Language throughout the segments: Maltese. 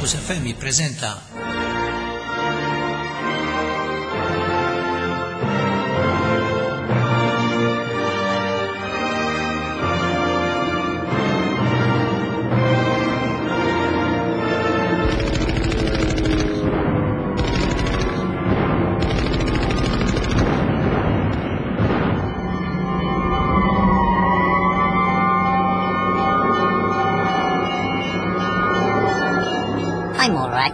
Campus FM jippreżenta I'm all right.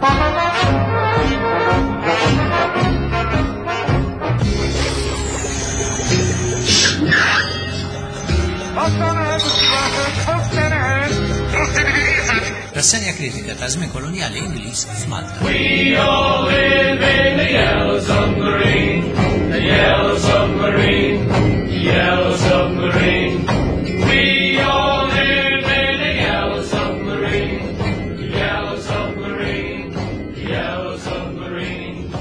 Rassenja kritika ta' żmien kolonjali Ingliż f'Malta. We all live in a yellow submarine, a yellow submarine, a yellow submarine. We all live in a yellow submarine, a yellow submarine, a yellow submarine.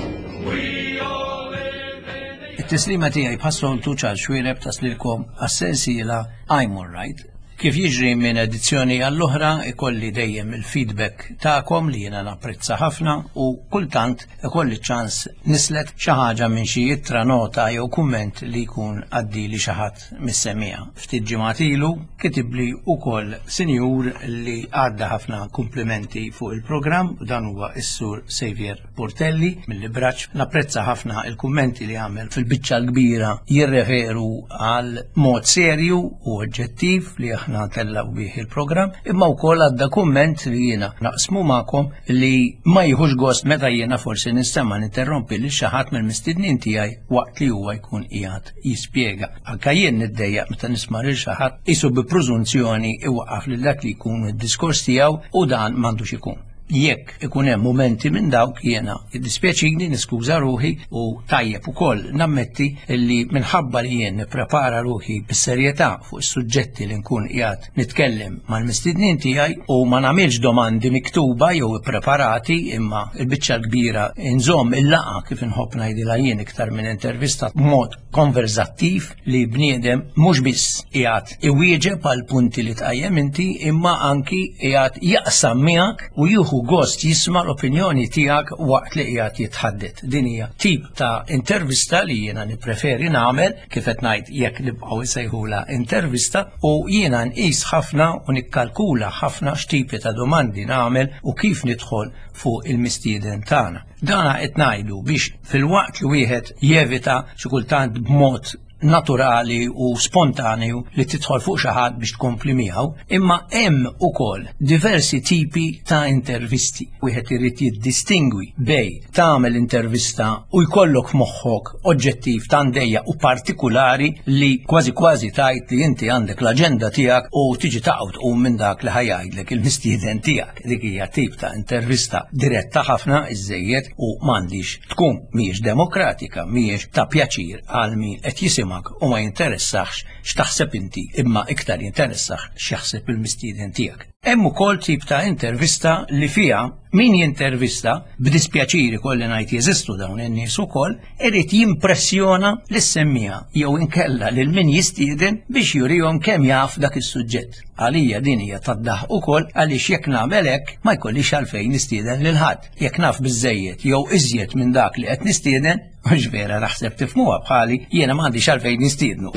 We all live in a It-tislima tiegħi bħas-soltu ċar xwiereb taslilkom għas-sensiela I'm Alright. Kif jiġri minn edizzjoni għall-oħra ikolli dejjem il-feedback tagħkom li jiena napprezza ħafna u kultant ikolli ċans nislet xi ħaġa minn xi ittra nota jew kumment li jkun għaddili xi ħadd mis-semmiegħa. Ftit ġimgħat ilu kitibli wkoll sinjur li għadda ħafna kumplimenti fuq il-programm u dan huwa s-sur Xavier Portelli mill-Ibraċ. Napprezza ħafna il-kummenti li għamel fil-biċċa l-kbira jirreferu għal mod serju u oġġettiv li aħna tellgħu bih il-programm, imma wkoll għadda kumment li jiena naqsmu magħkom li ma jieħux gost meta jiena forsi nistema' ninterrompi lil xi ħadd mill-mistednin tiegħi waqt li huwa jkun qiegħed jispjega. Anka jien niddejjaq meta nisma' lil xi ħadd qisu bi prużunzjoni iwaqqaf lil dak li jkun id-diskors tiegħu u dan m'għandux ikun. Jekk ikun hemm mumenti minn dawk jiena jiddispjaċini niskuża ruħi u tajjeb ukoll nammetti li minħabba li jien nipprepara ruħi bis-serjetà fuq is-suġġetti li nkun qiegħed nitkellem mal-mistednin tiegħi u ma nagħmilx domandi miktuba jew ippreparati imma l-biċċa l-kbira nżomm il-laqgħa kif inħobb ngħidilha jien iktar minn intervista b'mod konversattiv li bniedem mhux biss qiegħed iwieġeb għal punti li tqajjem inti imma anki qiegħed jaqsam miegħek u jieħu gost jisma' l-opinjoni tiegħek waqt li qiegħed jitħaddet. Din hija tip ta' intervista li jiena nippreferi nagħmel kif qed ngħid jekk nibqgħu nsejħulha intervista u jiena nqis ħafna u nikkalkula ħafna x'tipi ta' domandi nagħmel u kif nidħol fuq il-mistieden tagħna. Dana qed ngħidu biex filwaqt li wieħed jevita xi kultant b'mod naturali u spontanju li tidħol fuq xi ħadd biex tkompli miegħu, imma hemm ukoll diversi tipi ta' intervisti. Wieħed irid jiddistingwi bej tagħmel intervista u jkollok f'moħħok oġġettiv ta' ndejja u partikulari li kważi kważi tajt li inti għandek l-aġenda tiegħek u tiġi taqgħu tqum minn dak li ħajgħidlek il-mistieden tiegħek. Dik hija tip ta' intervista diretta ħafna iżejjed u m'għandix tkun mhijiex demokratika, mhijiex ta' pjaċir għal min qed jisimgħek u ma jinteressax x'taħseb inti imma iktar jinteressax x'jaħseb il-mistieden tiegħek. Hemm ukoll tip ta' intervista li fiha min jintervista b'dispjaċir ikolli ngħid jeżistu dawn in-nies ukoll irid jimpressjona lis-semmiegħa jew inkella lil min jistieden biex jurihom kemm jaf dak is-suġġett. Għalija din hija tad-daħq ukoll għaliex jekk nagħmel hekk ma jkollix għalfejn nistieden lil ħadd. Jekk naf biżżejjed jew iżjed minn dak li qed nistieden, mhux vera naħseb tifhmuha bħali, jiena m'għandix għalfejn nistiednu.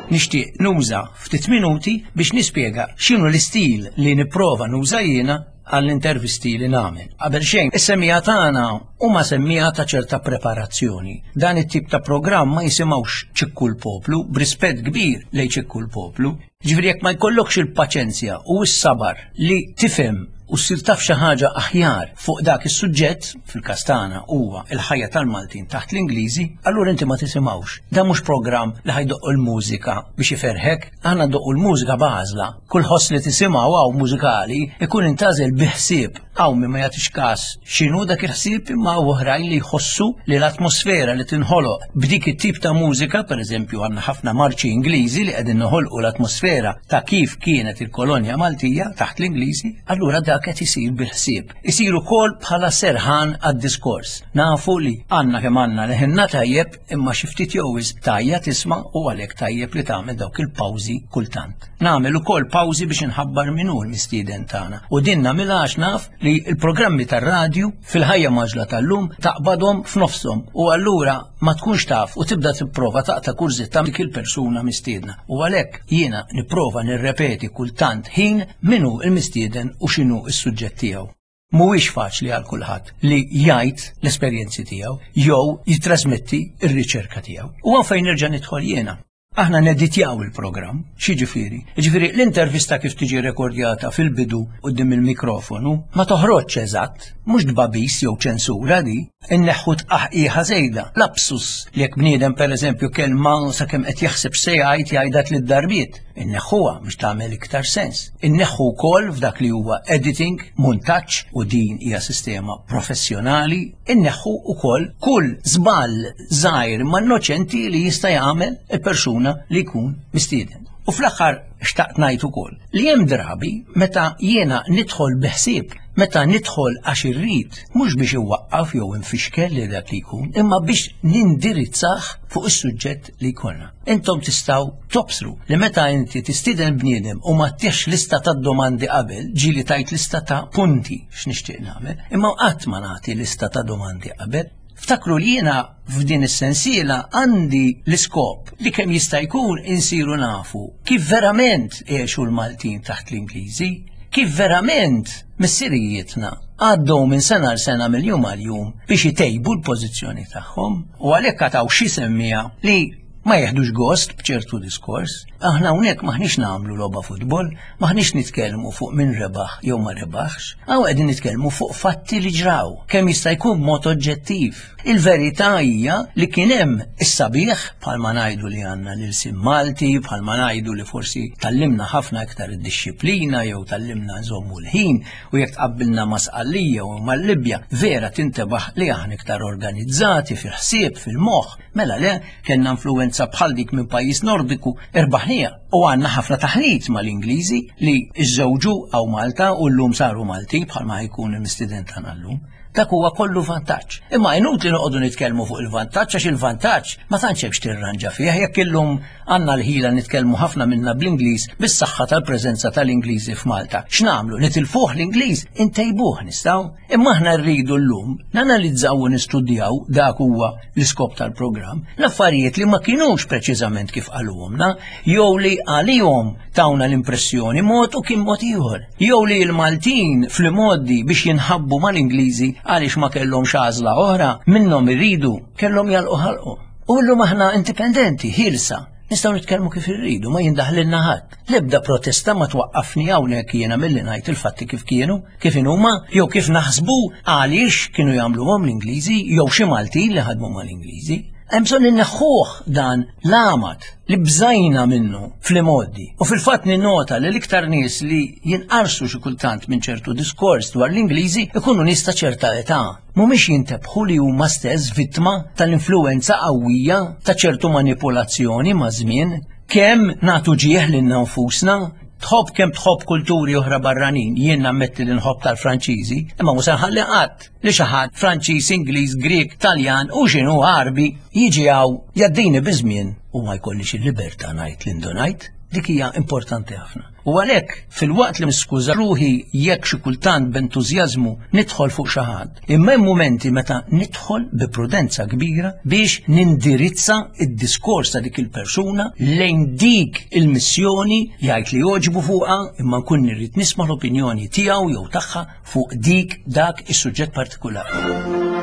Nixtieq nuża ftit minuti biex nispjega x'inhu l-istil li nipprova nuża jiena għall-intervisti li nagħmel. Qabel xejn, is-semmiegħa tagħna huma semmiegħa ta' ċerta preparazzjoni. Dan it-tip ta' programm ma jisimgħux ċikku l-poplu, b'rispett kbir lejn ċikku l-poplu. Ġifieri jekk ma jkollokx il-paċenzja u s-sabar li tifhem u ssir taf xi ħaġa aħjar fuq dak is-suġġett, fil-każ tagħna huwa l-ħajja tal-Maltin taħt l-Ingliżi, allura inti ma tisimgħux. Dan mhux programm li ħajdoqqu l-mużika biex iferrħek, aħna ndoqqu l-mużika b'għażla. Kull ħoss li tisimgħu hawn mużikali ikun intgħażel bi ħsieb. Hawn min ma jagħtix każ x'inhu dak il-ħsieb imma hawn oħrajn li jħossu li l-atmosfera li tinħoloq b'dik it-tip ta' mużika, pereżempju għandna ħafna marċi Ingliżi li qegħdin noħolqu l-atmosfera ta' kif kienet il-kolonja Maltija taħt l-Ingliżi, allura dak qed isir bil-ħsieb. Isir ukoll bħala serħan għad-diskors. Nafu li għandna kemm għandna leħinna tajjeb imma xi ftit jew wisq tgħajja tisma' u għalhekk tajjeb li tagħmel dawk il-pawżi kultant. Nagħmel ukoll pawżi biex inħabbar min hu l-mistieden tagħna. U din nagħmilha għax naf li l-programmi tar-radju fil-ħajja maġla tal-lum taqbadhom f'nofshom u allura ma tkunx taf u tibda tipprova taqta' kurżità dik il-persuna mistiedna. U għalhekk jiena nipprova nirrepeti kultant ħin min hu l-mistieden u x'inhu s-suġġett tiegħu. Mhuwiex faċli għal kulħadd li jgħid l-esperjenzi tiegħu jew jittrasmetti r-riċerka tiegħu. U hawn fejn nerġa' nidħol jiena. Aħna neditjaw il-programm, x'jiġifieri? Jiġifieri l-intervista kif tiġi rekordjata fil-bidu quddiem il-mikrofonu ma toħroġx eżatt, mhux tbagħbis jew ċensura di, inneħħu tqaħqiħa żejda, lapsus li jekk bniedem pereżempju kelma sakemm qed jaħseb se jgħid jgħidha tliet darbiet, inneħħuha biex tagħmel iktar sens. Inneħħu wkoll f'dak li huwa editing, muntaġġ u din hija sistema professjonali, inneħħu wkoll kull żball żgħir ma innoċenti li jista' jagħmel il-persuna li jkun mistieden. U fl-aħħar xtaqt ngħid ukoll li hemm drabi meta jiena nidħol bi ħsieb, meta nidħol għax irrid, mhux biex inwaqqaf jew infixkel li dak li jkun, imma biex nindirizzah fuq is-suġġett li jkollna. Intom tistgħu tobsru li meta inti tistieden bniedem u ma tiex lista ta' domandi qabel, ġieli tajt lista ta' punti x'nixtieq nagħmel, imma qatt ma nagħti lista ta' domandi qabel. Ftakru li jiena f'din is-sensiela għandi l-iskop li kemm jista' jkun insiru nafu kif verament għexu l-Maltin taħt l-Ingliżi, kif verament missirijietna għaddew minn sena għal sena mill-jum għal jum biex itejbu l-pożizzjoni tagħhom u għalhekk għataw xi semmija li ma jeħdux gost b'ċertu diskors. Aħna hawnhekk maħniex nagħmlu logħba futbol, maħniex nitkellmu fuq min rebaħ jew ma rebaħx, hawn qegħdin nitkellmu fuq fatti li ġraw, kemm jista' jkun b'mod oġġettiv. Il-verità hija li kien hemm is-sabiħ bħalma ngħidu li għandna l-ilsien Malti, bħalma ngħidu li forsi tallimna ħafna iktar id-dixxiplina jew tallimna nżommu l-ħin u jekk tqabbilna ma' Sqallija u mal-Libja, vera tintebaħ li aħna iktar organizzati fil-ħsieb, fil-moħħ. Mela le, kellna influwenza bħal dik minn pajjiż Nordiku, irbaħnija u għandna ħafna taħlit mal-Ingliżi li żżewġu għaw Malta u llum saru Malti bħalma jkun il-mistiden tagħna llum. Dak huwa kollu vantaġġ. Imma inutli noqogħdu nitkellmu fuq il-vantaġġ għax il-vantaġġ ma tantx hemmx tirranġa fih jekk illum għandna l-ħila nitkellmu ħafna minna bl-Ingliż bis-saħħa tal-preżenza tal-Ingliżi f'Malta. X'nagħmlu? Nitilfuh l-Ingliż? Intejbuh nistgħu? Imma aħna rridu llum nanalizzaw u nistudjaw dak huwa l-iskop tal-programm, l-affarijiet li ma kinux preċiżament kif qaluhomna, jew li għalihom tawna l-impressjoni mod u kien mod ieħor, jew li l-Maltin fl-imgħoddi biex jinħabbu mal-Ingliżi għaliex ma kellhomx għażla oħra minnhom irridu kellhom jalqu ħalqhom. U llum aħna indipendenti, ħielsa, Nistgħu nitkellmu kif irridu, ma jindaħlilna ħadd. L-ebda protesta ma twaqqafni hawnhekk jiena milli ngħid il-fatti kif kienu, kif inhuma, jew kif naħsbu għaliex kienu jagħmluhom l-Ingliżi jew xi Maltin li ħadmu mal-Ingliżi. Hemm bżonn inneħħuh dan l-għamad li bżajna minnu fl-imgħoddi. U fil-fatt ninnota li l-iktar nies li jinqarsu xi kultant minn ċertu diskors dwar l-Ingliżi ikunu nies ta' ċerta età. Mhumiex jintebħu li huma stess vittma tal-influwenza qawwija ta' ċertu manipulazzjoni maż-żmien. Kemm nagħtu ġieħ lilna nfusna, tħobb kemm tħobb kulturi oħra barranin, jien nammetti li nħobb tal-Franċiżi, imma mhux se nħalli qatt li xi ħadd Franċiż, Ingliż, Grieg, Taljan u x'inhu Għarbi jiġi hawn jgħaddini biż-żmien u ma jkollix il-libertà ngħid li ndunajt. Dik hija importanti ħafna. U għalhekk, filwaqt li niskuża ruħi jekk xi kultant b'entużjażmu nidħol fuq xi ħadd, imma hemm mumenti meta nidħol bi prudenza kbira biex nindirizza d-diskors ta' dik il-persuna lejn dik il-missjoni jgħid li jogħġbu fuqha imma nkun irrid nisma' l-opinjoni tiegħu jew tagħha fuq dik dak is-suġġett partikulari.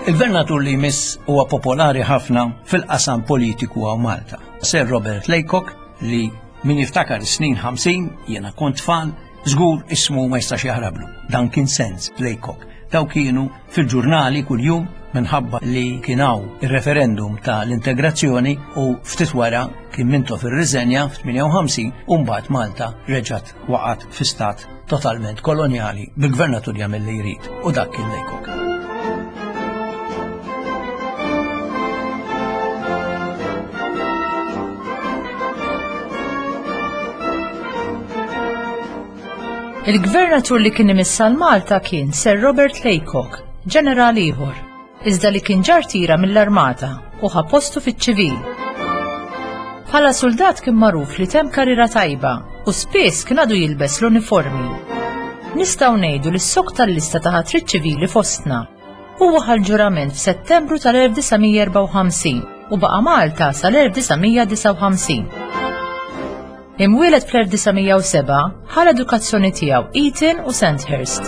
Il-gvernatur li jmiss huwa popolari ħafna fil-qasam politiku għaw Malta. Sir Robert Laycock li min jiftakar snin 50 jiena kont tfal, żgur ismu ma jistax jaħrablu. Dan kien sens Laycock. Daw kienu fil-ġurnali kuljum minħabba li kien hawn ir-referendum ta' l-integrazzjoni u ftit wara kien Mintoff irriżenja f'58 u mbagħad Malta reġgħet waqgħet fi stat totalment kolonjali bil-gvernatur jagħmel li jrid u dak kien Laycock. Il-gvernatur li kien imiss għal Malta kien Sir Robert Laycock, ġeneral ieħor, iżda li kien ġar tira mill-armata u ħa postu fiċ-ċivil. Bħala suldat kien magħruf li temm karriera tajba u spiss kien għadu jilbes l-uniformi. Nistgħu ngħidu li s-sok tal-lista ta' ħatrit ċivili fostna. Huwa ħa l-ġurament f'Settembru tal-1954 u baqa' Malta sal-1959. Imwieled fl-1907, ħa l-edukazzjoni tiegħu Eton u Sandhurst.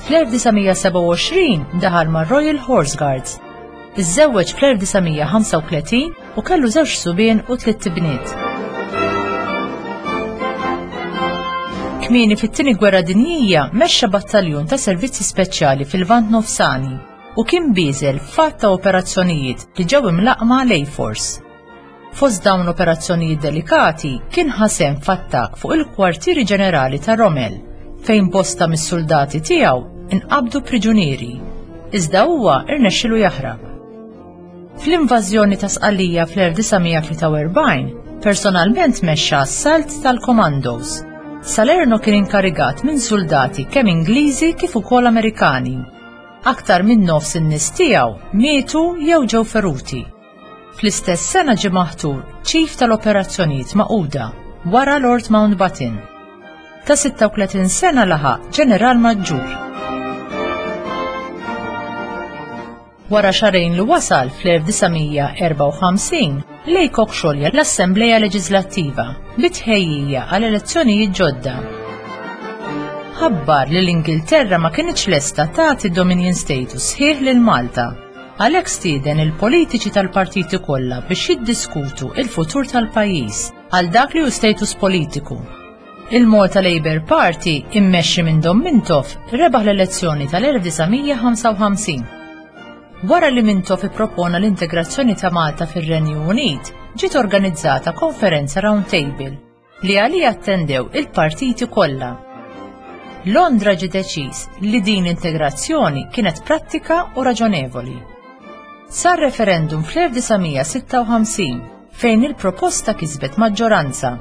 Fl-1927 daħal mar-Royal Horse Guards. Iżżewweġ fl-1935 u kellu żewġ subien u tliet ibniet. Kmieni fit-Tieni Gwerra Dinjija mexxa battaljun ta' servizzi speċjali fil-Lvant Nofsani u kien bieżel f'għadd ta' operazzjonijiet li ġew imlaqqma l-A-Force. Fost dawn l-operazzjonijiet delikati kien ħa sehem f'attakk fuq il-kwartieri ġenerali ta' Rommel, fejn bosta mis-suldati tiegħu nqabdu priġunieri, iżda huwa rnexxielu jaħrab. Fl-invażjoni ta' Sqallija fl-1943, personalment mexxa assalt tal-Commandos. Salerno kien inkarigat minn suldati kemm Ingliżi kif ukoll Amerikani. Aktar minn nofs in-nies tiegħu mietu jew ġew feruti. Fl-istess sena ġie maħtur Chief tal-Operazzjonijiet Magħquda wara Lord Mountbatten. Ta' 36 sena laħaq Ġeneral Maġġur. Wara xahrejn li wasal fl-1954, Laycock xolja l-Assembleja Leġislattiva bi tħejjija għal elezzjonijiet ġodda. Ħabbar li l-Ingilterra ma kinitx lesta tagħti Dominion status sħiħ lil Malta. Għalhekk stieden il-politiċi tal-partiti kollha biex jiddiskutu il-futur tal-pajjiż għal dak li hu status politiku. Il-Malta Labour Party immexxi minn Dom Mintoff rebaħ l-elezzjoni tal-1955. Wara li Mintoff ippropona l-integrazzjoni ta' Malta fir-Renju Unit, ġiet organizzata konferenza round table li għaliha attendew il-partiti kollha. Londra ġie deċiż li din l-integrazzjoni kienet prattika u raġonevoli. Sar referendum fl-1956 fejn il-proposta kisbet maġġoranza.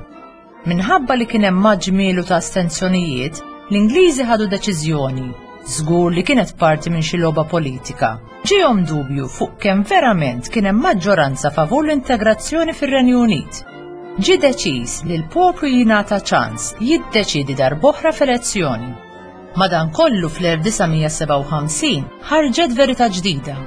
Minħabba li kien hemm maġmielu ta' astenzjonijiet, l-Ingliżi ħadu deċiżjoni, żgur li kienet parti minn xi logħba politika. Ġiehom dubju fuq kemm verament kien hemm maġġoranza favur l-integrazzjoni fir-Renju Unit. Ġie deċiż li l-poplu jingħata ċans jiddeċiedi darb'oħra f'elezzjoni. Madankollu fl-1957 ħarġet verità ġdida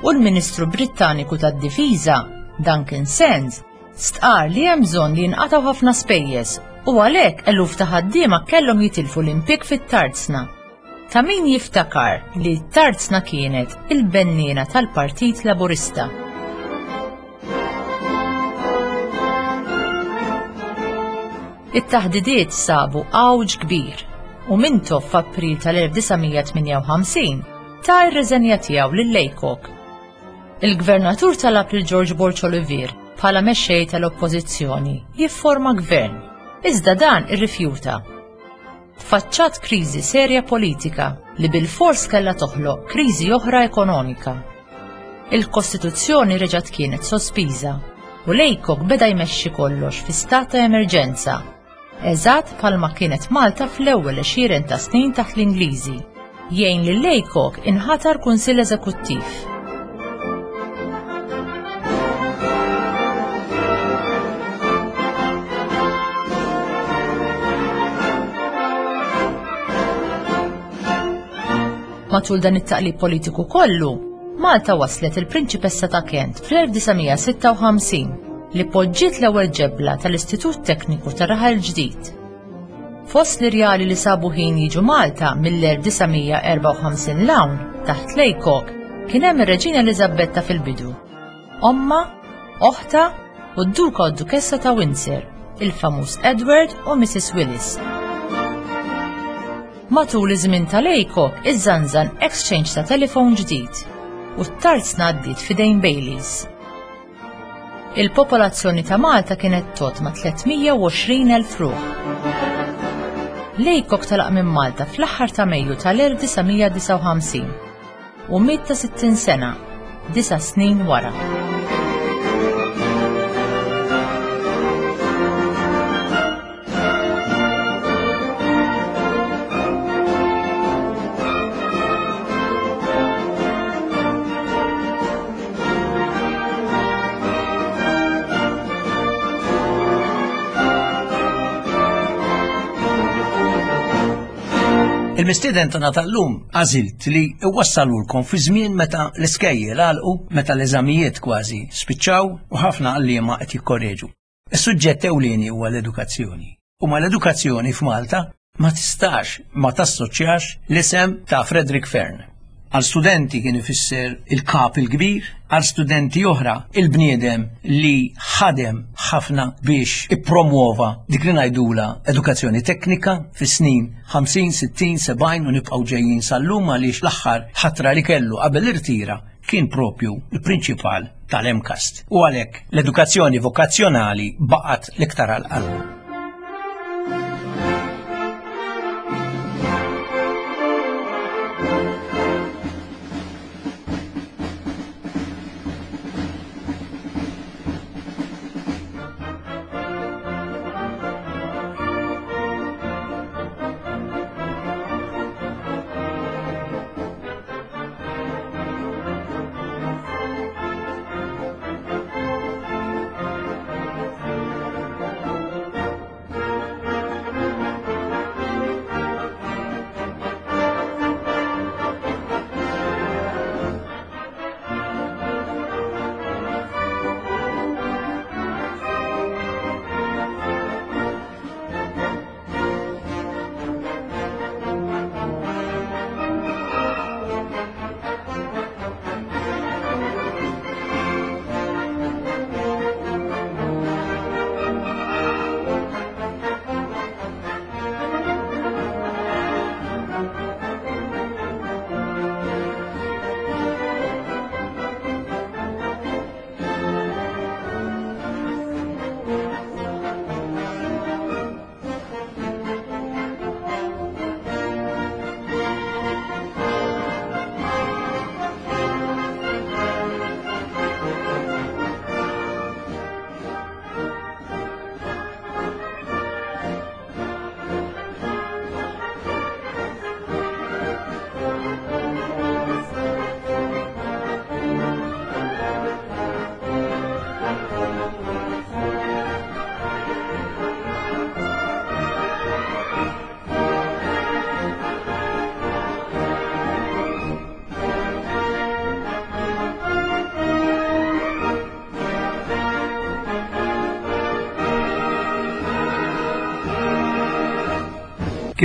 u l-Ministru Brittaniku tad-Difiża, Duncan Sands, stqarr li hemm bżonn li jinqatgħu ħafna spejjeż u għalhekk eluf ta' ħaddiema kellhom jitilfu l-impjieg fit-tarzna. Ta' min jiftakar li t-tarzna kienet il-benniena tal-Partit Laburista. It-taħdidiet sabu għawġ kbir u Mintoff f'April tal-1958 ta r-riżenja tiegħu lil Laycock. Il-Gvernatur talab lil George Borg Olivier bħala mexxej tal-Oppożizzjoni jifforma gvern, iżda dan irrifjuta. Tfaċċat kriżi serja politika li bilfors kellha toħloq kriżi oħra ekonomika. Il-Kostituzzjoni reġgħet kienet sospiża u Laycock beda jmexxi kollox fi stat ta' emerġenza, eżatt bħalma kienet Malta fl-ewwel għexieren ta' snin taħt l-Ingliżi. Jgħin lil Laycock inħatar Kunsill Eżekuttiv. Matul dan it-taqlib politiku kollu, Malta waslet il-Prinċipessa ta' Kent fl-1956 li poġġiet l-ewwel ġebla tal-Istitut Tekniku ta' Raħal Ġdid. Fost l-irjali li sabu ħin jiġu Malta mill-1954 'l hawn, taħt Laycock, kien hemm ir-Reġina Eliżabetta fil-bidu, ommha, oħtha u d-Duka u d-Dukessa ta' Windsor, il-famuż Edward u Mrs Willis. Matul iż-żmien tal-Aycock, iżżanżan exchange ta' telefon ġdid u t-tarzna għaddiet f'idejn Baileys. Il-popolazzjoni ta' Malta kienet tgħodd ma' 320,000 ruħ. L-Aycock telaq minn Malta fl-aħħar ta' Mejju tal-1959 u miet ta' 60 sena, disa' snin wara. Il-mistieden tagħna tal-lum għażilt li iwassalulkom fi żmien meta l-iskejjel għalqu, meta l-eżamijiet kważi spiċċaw u ħafna għalliema qed jikkorreġu. Is-suġġett ewlieni huwa l-edukazzjoni. U mal-edukazzjoni f'Malta ma tistax ma tassoċjax l-isem ta' Frederick Fern. Għal studenti kien ifisser il-kap il-kbir, għal studenti oħra il-bniedem li ħadem ħafna biex ippromuova dik li ngħidula edukazzjoni teknika fis-snin 50, 60, 70 u nibqgħu ġejjin sal-lum għaliex l-aħħar ħatra li kellu qabel irtira kien propju l-prinċipal tal-MCAST u għalhekk l-edukazzjoni vokazzjonali baqgħet l-iktar għal qalbu.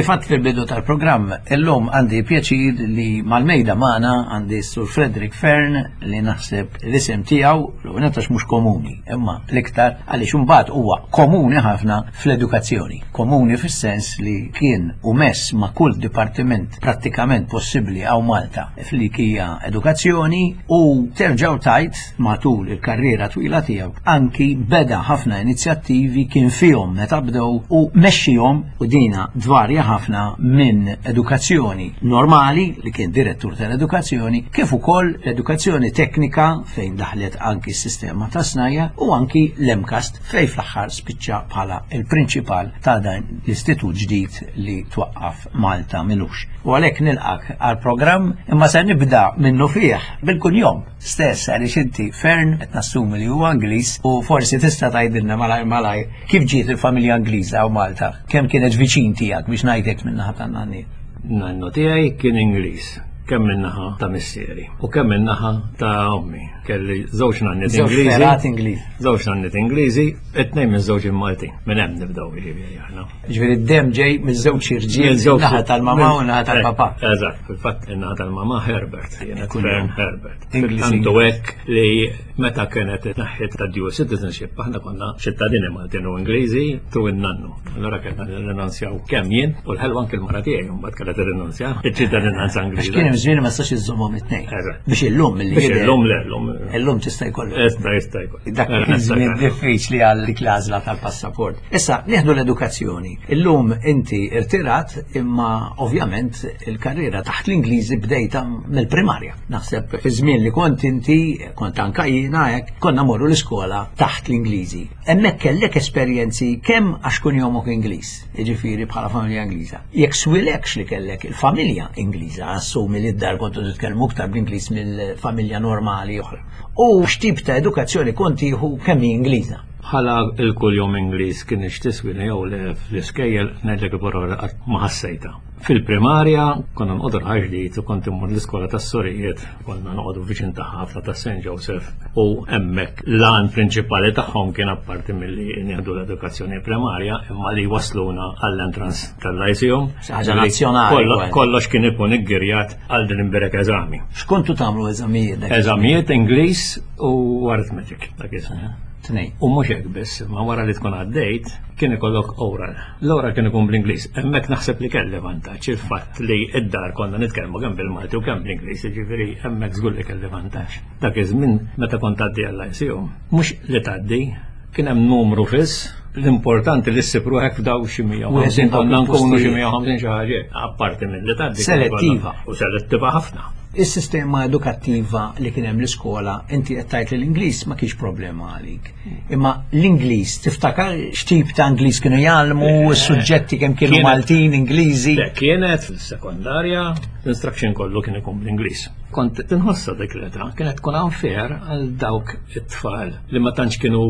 Kif għadt fil-bidu tal-programm, illum għandi pjaċir li mal-mejda magħna għandi Sur Frederick Fern li naħseb l-isem tiegħu l mhux komuni, imma l-iktar għaliex imbagħad huwa komuni ħafna fl-edukazzjoni. Komuni fis-sens li kien u mess ma' kull dipartiment prattikament possibbli hawn Malta f'lik hija edukazzjoni u terġgħu tajt matul il-karriera twila tiegħu anki beda ħafna inizjattivi kien fihom meta bdew u mexxihom u dina dvarja ħafna minn edukazzjoni normali li kien direttur tal-edukazzjoni kif ukoll l-edukazzjoni teknika fejn daħlet anki s-sistema ta' snajja u anki l-MCAST fejn fl-aħħar spiċċa bħala il-prinċipal ta' dan l-istitut ġdid li twaqqaf Malta milux. U għalhekk nilqak għal-programm imma se nibda minnu fih bil-kunjom stess għaliex inti Fern qed nassumi li huwa Ingliż u forsi tista' tgħidilna malajr malajr kif ġiet il-familja Ingliża u Malta, kemm kienet viċin tiegħek biex ngħidlek minn naħa tan-nanni. Nannu tiegħi kien Ingliż. Kemm min-naħa ta' missieri u kemm min-naħa ta' ommi. Kelli żewġ nanniet Ingliżi. Żewġ Ingliżi. Żewġ nanniet Ingliżi, it-tnejn minn żewġ Maltin. Minn hemm nibdew jiġifieri aħna. Ġifieri d-dem ġej minn żewġ irġiel, naħa tal-mamà u naħa tal-papà. Eh, eżatt, fil-fatt in-naħa tal-mamà Herbert, kienet Fern Herbert. Tantu hekk li meta kienet naħħiet ta' dual citizenship, aħna konna ċittadini Maltin u Ingliżi tu in-nannu. Allora kellna nirrinunzjaw kemm jien u l-ħelwa anke l-mara tiegħi mbagħad kellha tirrinunzja iċ-ċittadinanza Ingliża. Għax kien hemm żmien ma stax iżżommhom it-tnejn. Biex illum milli Biex illum le llum. Illum tista' jkollok. Jista' jista' jkollok. Dak kien żmien diffiċli għal dik l-għażla tal-passaport. Issa nieħdu l-edukazzjoni. Illum inti irtirat imma ovvjament il-karriera taħt l-Ingliżi bdejta mill-primarja. Naħseb fi żmien li kont inti, kont anka jiena hekk, konna morru l-iskola taħt l-Ingliżi. Hemmhekk kellek esperjenzi kemm għax kunjomok Ingliż, jiġifieri bħala familja Ingliża. Jekk swilekx li kellek il-familja Ingliża, assumi li d-dar kontu titkellmu iktar bl-Ingliż mill-familja normali oħra. U x'tip ta' edukazzjoni kont tieħu kemm hi Ingliża? Bħala il-kuljom Ingliż kien tiswina jew le fl-iskejjel ngħidlek il-parola qatt ma ħassejtha. Fil-primarja konna nqogħdu ġdid u kont immur l-iskola tas-sorijiet, konna noqogħdu viċin ta' ħafna ta' St. Joseph u hemmhekk l-għan prinċipali tagħhom kien apparti milli nieħdu l-edukazzjoni primarja imma li wasluna għall-entrance tal-lyceum. Ħaġa nazzjonali. Kollox kien ikun iggirjat għal din imbirek eżami. X'kontu tagħmlu eżamijiet? Eżamijiet Ingliż u arithmetic dak iż-żmien. Tnejn. U mhux hekk biss, ma wara li tkun għaddejt kien ikollok oral. L-oral kien ikun bl-Ingliż. Hemmhekk naħseb li kelli vantaġġ il-fatt li id-dar konna nitkellmu kemm bil-Malti u kemm bl-Ingliż, jiġifieri hemmhekk żgur li kelli vantaġġ. Dak iż-żmien meta kont tgħaddi għall-ICU, mhux li tgħaddi, kien hemm numru fiss, l-importanti li ssib ruħek f'daw xi 150 konna nkunu xi 150 xi ħaġa, apparti minn li tgħaddi. Selettiva. U selettiva ħafna. Is-sistema edukattiva li kien hemm l-iskola, inti qed tgħid li l-Ingliż ma kienx problema għalik. Imma l-Ingliż, tiftakar x'tip ta' Ingliż kienu jgħallmu, eh, s-suġġetti kemm kienu Maltin, Ingliżi? Le, kienet fis-sekondarja, l-instruction kollu kien ikun bl-Ingliż. Kont tinħossa dik l-età, kienet tkun unfair għal dawk it-tfal li ma tantx kienu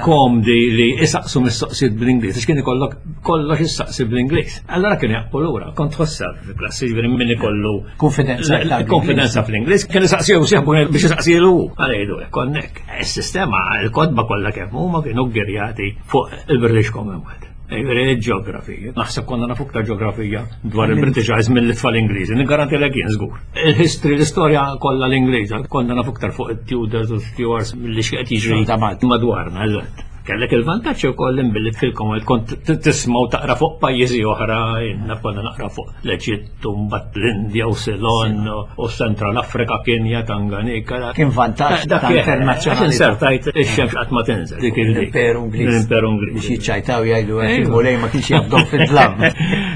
komdi li isaqsu mistoqsijiet bl-Ingliż, għax kien ikollok kollox issaqsi bl-Ingliż. Allora kien jaqbu lura, kont tħossa fil-klassi ġifieri min ikollu konfidenza konfidenza fl-Ingliż, kien isaqsihu sieħbu biex isaqsilu hu. Għalejdu hekk konnek. Is-sistema, il-kotba kollha kemm huma kienu ggirjati fuq il-British Commonwealth. Il-ġeografija. Naħseb konna nafu iktar ġeografija dwar il-British Isles mill-tfal Ingliżi. Niggaranti lek jien żgur. Il-history, l-istorja kollha l-Ingliża, konna nafu iktar fuq it-Tudors u Stuarts milli x'qed jiġri madwarna, eżatt. Kellek il-vantaġġ ukoll billi fil-Commonwealth kont tisma' u taqra fuq pajjiżi oħra, jiena konna naqra fuq l-Eġittu, mbagħad l-Indja u Ceylon u Central Africa, Kenya, Tanganyika. Kien vantaġġ ta' internazzjonali. Insertajt ix-xemx qatt ma tinżel. Dik l-Imperu Ingliż. L-Imperu Ingliż. Biex jiċċajtaw jgħidu hekk il-mulej ma kienx jafdhom fid-dlam.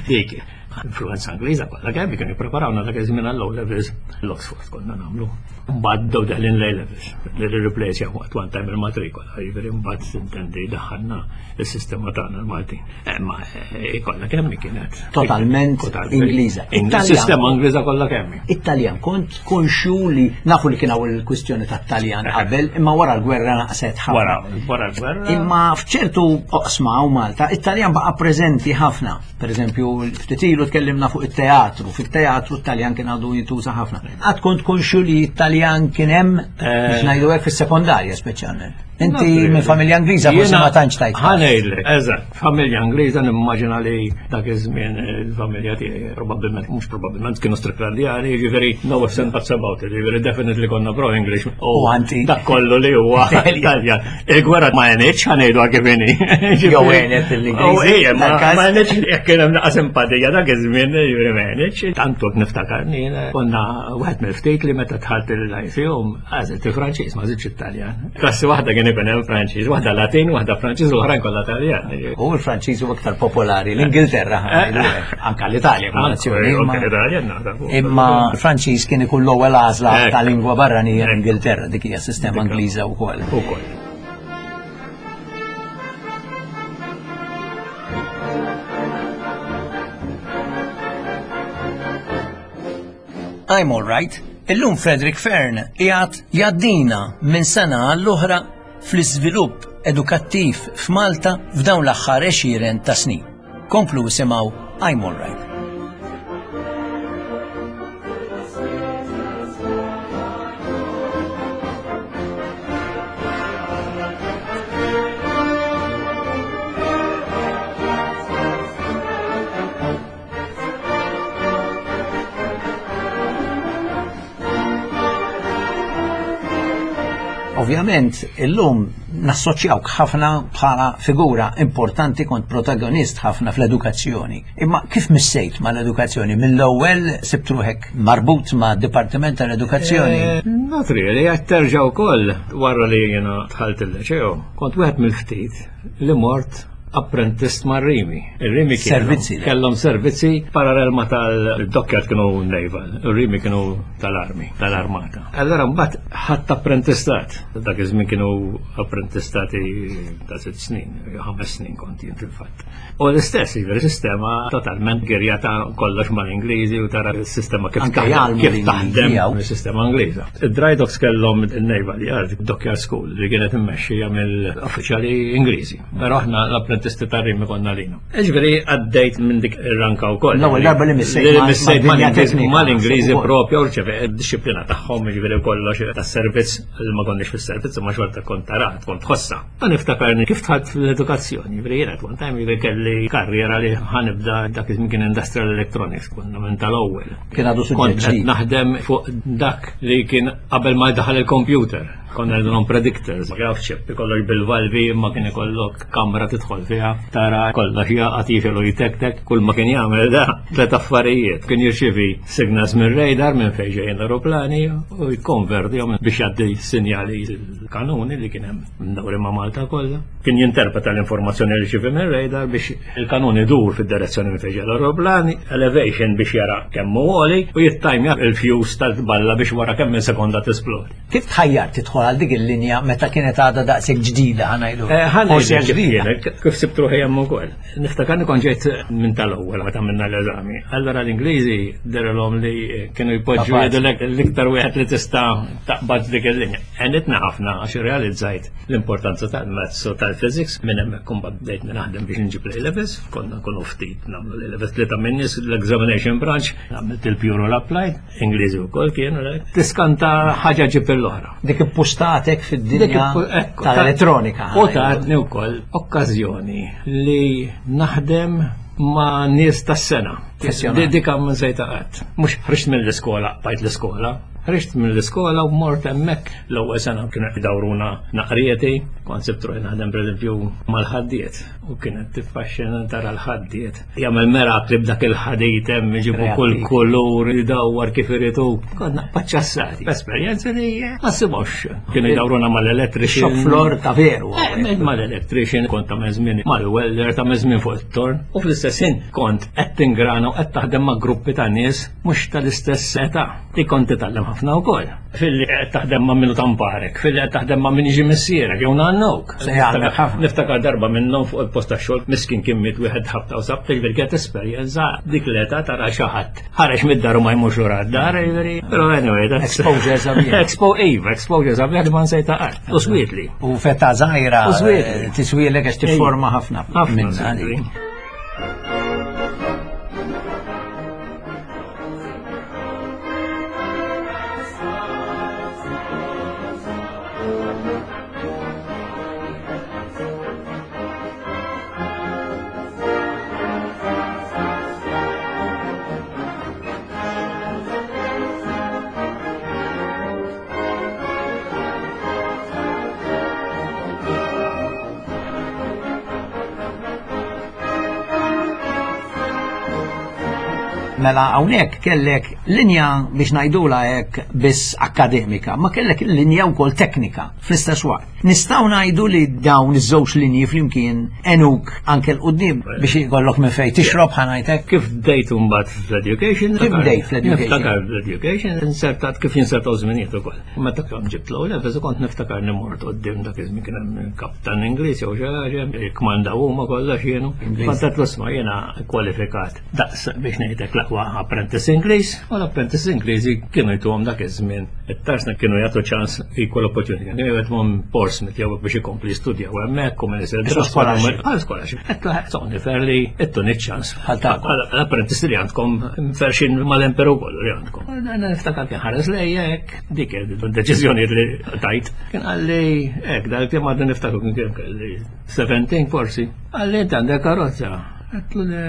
Dik. Influenza Ingliża kollha kemm kienu jippreparawna dak iż-żmien għall-O levels l-Oxford konna nagħmlu. Mbagħad bdew deħlin l-A levels li replace waqt one time il-matrikola, jiġifieri mbagħad intendi daħħalna is-sistema tagħna l-Maltin. Eh, ma eh, kollha kemm kienet. Totalment Ingliża. Sistema Ingliża kollha kemm. Italjan kont konxju li nafu li kien hawn il-kwistjoni tat-Taljan eh. qabel, imma wara l-gwerra naqset ħafna. Wara, wara l-gwerra. Imma f'ċertu oqsma u Malta, it-Taljan baqa' preżenti ħafna. Per eżempju, ftit ilu tkellimna fuq it-teatru, fit-teatru t-Taljan kien għadu jintuża ħafna. Għad kont konxju li t-Taljan kien hemm biex ngħidu hekk fis-sekondarja speċjalment. Inti minn familja Ingliża forsi ma tantx tajt. Ħanejlek, eżatt, familja Ingliża nimmaġina li dak iż-żmien il-familja tiegħi probabbilment mhux probabbilment kienu Stricklandjani, jiġifieri no ifs and buts about it, jiġifieri definitely konna pro English. U anti. Dak kollu li huwa Italjan. Il-gwerra ma għenitx ħanejdu kif inhi. Jew għenet l-Ingliżi. Ejja, ma għenitx jekk kien hemm naqa' simpatija dak iż-żmien, jiġifieri ma għenitx. Tantu niftakarni konna wieħed mill-ftit li meta dħalt il-lyceum Għażilt il-Franċiż, ma għażiltx it-Taljan. Klassi waħda kien ikun hemm Franċiż, waħda Latin, waħda Franċiż u oħrajn kollha Taljan. U l-Franċiż huwa iktar popolari l-Ingilterra, eh. anka l-Italja bħala nazzjoni. Imma l-Franċiż kien ikun l-ewwel għażla eh. ta' lingwa barranija l-Ingilterra, dik hija sistema Ingliża wkoll. Ukoll. I'm all right. Illum Frederick Fern qiegħed jgħaddina minn sena għall-oħra fl-iżvilupp edukattiv f'Malta f'dawn l-aħħar għexieren ta' snin. Komplu isimgħu I'm all right. Ovvjament, illum nassoċjawk ħafna bħala figura importanti kont protagonist ħafna fl-edukazzjoni. Imma kif missejt mal-edukazzjoni? Mill-ewwel sibt ruħek marbut ma' Dipartiment tal-Edukazzjoni? Eh, not really, għed terġa' wkoll wara li jiena dħalt il-ċew. Kont wieħed mill-ftit li mort apprentist ma' Rimi. Ir-Rimi servizzi. Kellhom servizzi parallel ma' tal-dokkjat kienu naval, ir-Rimi kienu tal-armi, tal-armata. Allora mbagħad ħadd apprentistat. Dak iż-żmien kienu apprentistati ta' sitt snin, ħames snin kont jien fil-fatt. U l-istess, jiġifieri sistema totalment girjata kollox mal-Ingliżi u tara s-sistema kif taħdem is-sistema Ingliża. Id-dry docks kellhom il-Naval Yard, Dockyard School, li kienet immexxija mill-uffiċjali Ingliżi. Però aħna l-apprentisti tar-rimi konna lina. Ġifieri għaddejt minn dik ir-ranka wkoll. L-ewwel darba li missejt mal-Ingliżi propja u rċeve id-disciplina tagħhom, ġifieri kollox tas-servizz li ma konniex fis-servizz imma xorta kont tarat, kont tħossa. Ma niftakarni kif tħadd fl-edukazzjoni, ġifieri jiena at one time ġifieri kelli karriera li ħanibda dak iż-żmien kien industrial electronics, konna minn tal-ewwel. Kien għadu suġġett. Naħdem fuq dak li kien qabel ma daħal il-computer. Konna non predictors, ma kienx ċip, ikollok bil-valvi, ma kien ikollok kamra tidħol fiha, tara kollox jaqgħad jixelu jtektek, kull ma kien jagħmel da tliet affarijiet. Kien jirċivi signals minn radar minn fejn ġejjin l-aeroplani u jikkonvertihom biex jgħaddi sinjali l-kanuni li kien hemm dawri ma' Malta kollha. Kien jinterpreta l-informazzjoni li ċivi minn radar biex il-kanun idur fid-direzzjoni minn fejn ġej l-aeroplani, elevation biex jara kemm hu għoli u jittajmja il-fuse tal-balla biex wara kemm minn sekonda tisplodi. Kif tħajjar tidħol għal dik il-linja meta kienet għadha daqshekk ġdida ħanajdu? Eh, ħanajdu ġdida. Kif sibt ruħi hemm ukoll. Niftakar kont ġejt minn tal-ewwel meta minna l-eżami. Allora l-Ingliżi derelhom li kienu jpoġġu jgħidulek l-iktar wieħed li tista' taqbad dik il-linja. Għenitna ħafna għax irrealizzajt l-importanza tal-maths u tal-physics minn hemmhekk imbagħad bdejt naħdem biex nġib l-A-levels, konna nkunu ftit nagħmlu l-A-levels li ta' minnis l-examination branch, għamilt il-pure u l-applied. Ingliżi wkoll kienu, tiskanta ħaġa ġib l-oħra. Dik impustatek fid-dinja tal-elettronika. U tatni wkoll okkażjoni li naħdem ma' nies tas-sena. Dik għam sejta qatt. Mhux ħriġt mill-iskola, bajt l-iskola, ħriġt mill-iskola u mort hemmhekk l-ewwel sena kienu jdawruna naqrieti, kont sibt ruħi naħdem pereżempju mal-ħaddiet u kienet tiffaxxina tara l-ħaddiet Jagħmel merakli b'dak il-ħadid hemm iġibu kull kulur idawwar kif irid hu. Konna paċċassati. Esperjenza li ma ssibhomx. Kienu jdawruna mal-electrician. Shop floor ta' veru. Eh, mal-electrician kont ta' żmien mal-welder ta' żmien fuq it-torn u fl-istess ħin kont qed tingrana u qed taħdem ma' gruppi ta' nies mhux tal-istess età li kont titgħallem ħafna wkoll. Filli qed taħdem ma' minnu tamparek, filli qed taħdem ma' min jiġi missierek jew nannuk. Niftakar darba minnhom fuq il-post tax-xogħol miskin kien miet wieħed ħabta u sabta ġifieri kienet esperjenza dik l-età tara xi ħadd ħareġ mid-dar u ma jmurx lura d-dar, ġifieri. Però anyway, exposure sabiħ. Expo iva, exposure sabiħ li ma nsejta qatt. U swietli. U feta żgħira tiswielek għax tifforma ħafna. Ħafna. Mela hawnhekk kellek linja biex ngħidula hekk biss akademika, ma kellek linja wkoll teknika fl-istess waqt. Nistgħu ngħidu li dawn iż-żewġ linji flimkien enuk anke l-qudiem biex ikollok minn fejn tixrob ħanajtek. Kif bdejt imbagħad fl-education? Kif bdejt fl-education? Niftakar fl-education, insertat kif jinsertaw żminijiet ukoll. Meta kemm ġibt l-ewwel levels kont niftakar li mort quddiem dak iż-żmien kien hemm kaptan Ingliż jew xi ħaġa, jikkmandaw huma kollox jienu. Kont qed l-isma' jiena kwalifikat daqs biex ngħidlek l-aqwa apprentice Ingliż u l-apprentice Ingliżi kienu jtuhom dak iż-żmien it-tarsna kienu jagħtu ċans equal opportunity. Kienu jagħtuhom Portsmouth jew biex ikompli jistudjaw hemmhekk u minn isir scholarship. Għal scholarship. Qed tagħni ferli ittuni ċans. L-apprentice li għandkom ferxin mal-emperu kollu li għandkom. Niftakar kien ħares lejja hekk, dik id-deċiżjoni li tajt. Kien qalli hekk, dal-kemm għadni niftakru kien kien kelli 17 forsi. Qalli inti għandek karozza. Għedtlu le,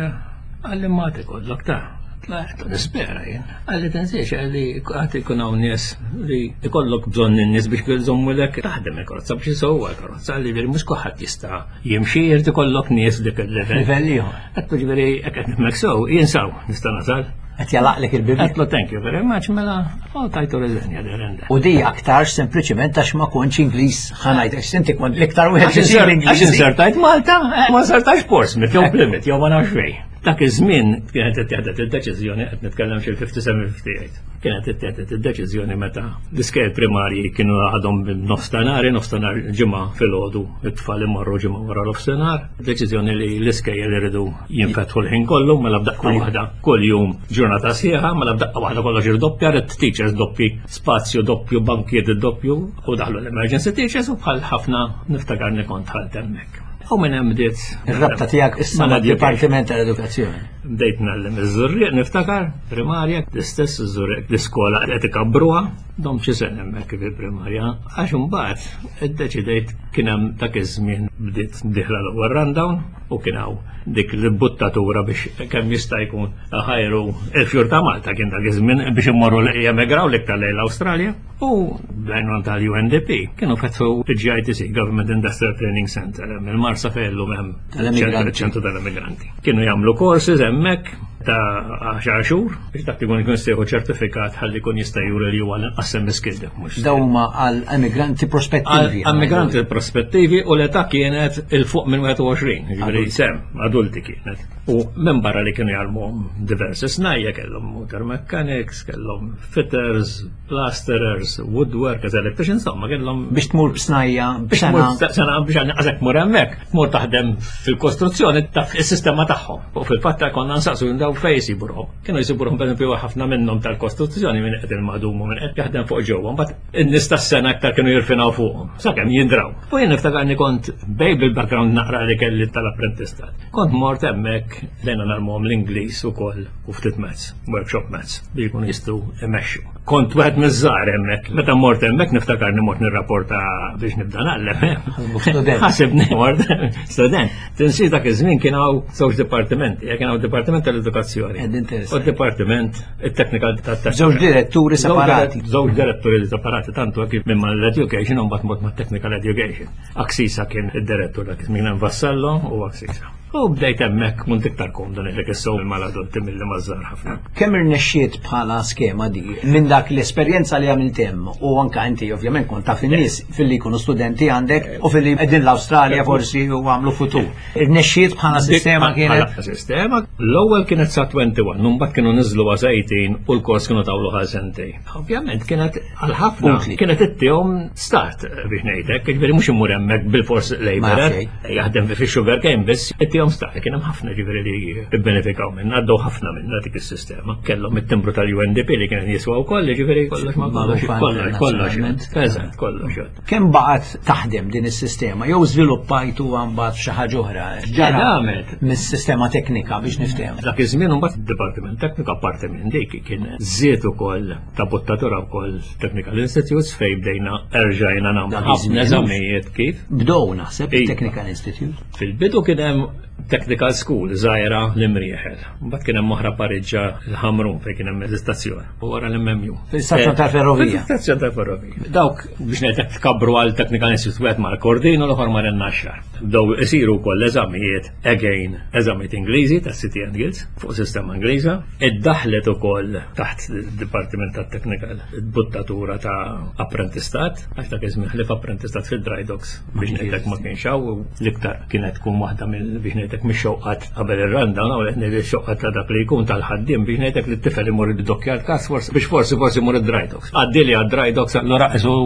qalli ma tikollok ta'. Għedtlu nispera jien. Qalli tinsiex li għad ikun hawn nies li ikollok bżonn in-nies biex jżommulek taħdem il-karozza biex isewwa l-karozza li mhux kulħadd jista' jimxi jrid ikollok nies dik il-level. Livell ieħor. Għedtlu ġifieri hekk qed nifhmek sew, jien sew nista' nasal. Qed jalaqlek il-bibien. Għedtlu thank you very much mela u tajtu riżenja there U di aktarx sempliċiment għax ma kontx Ingliż ħa ngħid għax inti kont l-iktar wieħed li sir Ingliż. Għax insertajt Malta, eh, ma insertajx Portsmouth jew Plymouth jew ma nafx fejn. Dak iż-żmien kienet ittieħdet id-deċiżjoni qed nitkellem xi 57-58. Kienet ittieħdet id-deċiżjoni meta l-iskejjel primarji kienu għadhom nofstanhar, nofstanhar ġimgħa filgħodu, it-tfal imorru ġimgħa wara nofsinhar. Deċiżjoni li l-iskejjel iridu jinfetħu l-ħin kollu mela b'daqqa waħda kuljum ġurnata sħiħa, mela b'daqqa waħda kollox irdoppja, rid teachers doppi, spazju doppju, bankijiet doppju u daħlu l-emergency teachers u bħal ħafna niftakarni kont ħalt hemmhekk. U minn hemm bdiet. Ir-rabta tiegħek issa mad-Dipartiment tal-Edukazzjoni. Bdejt ngħallem iż-Żurrieq niftakar, primarja, l-istess iż-Żurrieq l-iskola qed ikabbruha, dom xi sena hemmhekk fil-primarja, għax imbagħad iddeċidejt kien hemm dak iż-żmien bdiet dieħla l-ewwel rundown u kien hawn dik l-buttatura biex kemm jista' jkun ħajru il-fjur ta' Malta kien dak iż-żmien biex immorru jemigraw l-iktar lejn l-Awstralja. U bl-għajnuna tal-UNDP kienu fetħu il-GITC, Government Industrial Training Center, hemm il-Marsa fejn hemm ċentru tal-immigranti. Kienu jagħmlu courses hemmhekk ta' 10 xhur biex dak ikun ikun sejħu ċertifikat ħalli jkun jista' juri li huwa l-inqas semi-skilled mhux. Dawn huma għal emigranti prospettivi. Emigranti prospettivi u l-età kienet il fuq minn 21, jiġifieri sem, adulti kienet. U minn barra li kienu jgħallmuhom diversi snajja kellhom motor mechanics, kellhom fitters, plasterers, woodworkers, electricians, insomma, kellhom. Biex tmur b'snajja, biex tmur sena biex għazek mur hemmhekk, tmur taħdem fil-kostruzzjoni taf is-sistema tagħhom. U fil-fatt konna nsaqsu daw fejn jsibuhom. Kienu jsibuhom pereżempju ħafna minnhom tal-kostruzzjoni minn qed il-madum u minn qed jaħdem fuq ġewwa, mbagħad in-nies tas-sena aktar kienu jirfinaw fuqhom, sakemm jindraw. U jien niftakarni kont bej bil-background naqra li kelli tal-apprentistat. Kont mort hemmhekk lejna narmuhom l-Ingliż ukoll u ftit mezz, workshop mezz, biex jkunu jistgħu imexxu. Kont wieħed miż-żgħar hemmhekk. Meta mort hemmhekk niftakarni mort nirrapporta biex nibda nagħllem. Ħasibni mort student. Tinsi dak iż-żmien kien hawn żewġ dipartimenti, kien hawn dipartiment tal-edukazzjoni. U dipartiment it-teknika tat Żewġ diretturi separati. Żewġ diretturi separati tantu kif minn mal-education u mbagħad mort mat-technical education. Aksisa kien id-direttur dak iż-żmien hemm Vassallo u Aksisa. U bdejt hemmhekk kont iktar komdu ngħidlek is-sew mal-adulti milli maż-żgħar ħafna. Kemm irnexxiet bħala skema di minn dak l-esperjenza li għamilt hemm u anka inti ovvjament kont taf in-nies filli jkunu studenti għandek u filli qegħdin l-Awstralja forsi u għamlu futur. Irnexxiet bħala sistema kienet? Bħala sistema, l-ewwel kienet sa 21, mbagħad kienu niżlu għal 18 u l-kors kienu tawlu għal sentejn. Ovvjament kienet għal ħafna kienet ittihom start biex ngħidlek, jiġifieri mhux imur hemmhekk bil-fors labor, jaħdem fi sugar cane biss, ittihom start, kien hemm ħafna ġifieri li bbenefikaw minn, għaddew ħafna minna dik is-sistema. Kellhom it-timbru tal-UNDP li kien jiswa wkoll, ġifieri kollox ma kollox kollox kollox. Eżatt, kollox. Kemm baqgħet taħdem din is-sistema jew żviluppajtu mbagħad f'xi ħaġa oħra? Ġara għamlet mis-sistema teknika biex niftehmu. Dak iż-żmien imbagħad id-Dipartiment Tekniku apparti minn dik kien żied ukoll ta' bottatura wkoll Technical Institutes fejn bdejna erġajna nagħmlu ħafna eżamijiet kif. Bdew naħseb Technical Institute. Fil-bidu kien hemm Technical School żgħira l-Imrieħel. Mbagħad kien hemm oħra Pariġġa l-Ħamrun fejn kien hemm l-istazzjon. U wara l-MMU. Fil-istazzjon tal-ferrovija. Fil-istazzjon tal-ferrovija. Dawk biex ngħidlek tkabru għal Technical Institute wieħed mal-Kordin u l-oħor mar in-Naxxar. Bdew isiru wkoll eżamijiet again eżamijiet Ingliżi tas City and Guilds fuq sistema Ingliża. Iddaħlet ukoll taħt id-Dipartiment tat-Technical buttatura ta' apprentistat, għax dak iż-żmien ħlief apprentistat fid-dry docks biex ngħidlek ma kienx hawn l-iktar kienet tkun waħda mill biex ngħidlek mix-xewqat qabel ir-randa, u qed ngħid ix-xewqat ta' dak li jkun tal-ħaddiem biex ngħidlek li t-tifel imur id-dokkjar kas forsi biex forsi forsi imur id-dry docks. Għaddili għad-dry docks allura qisu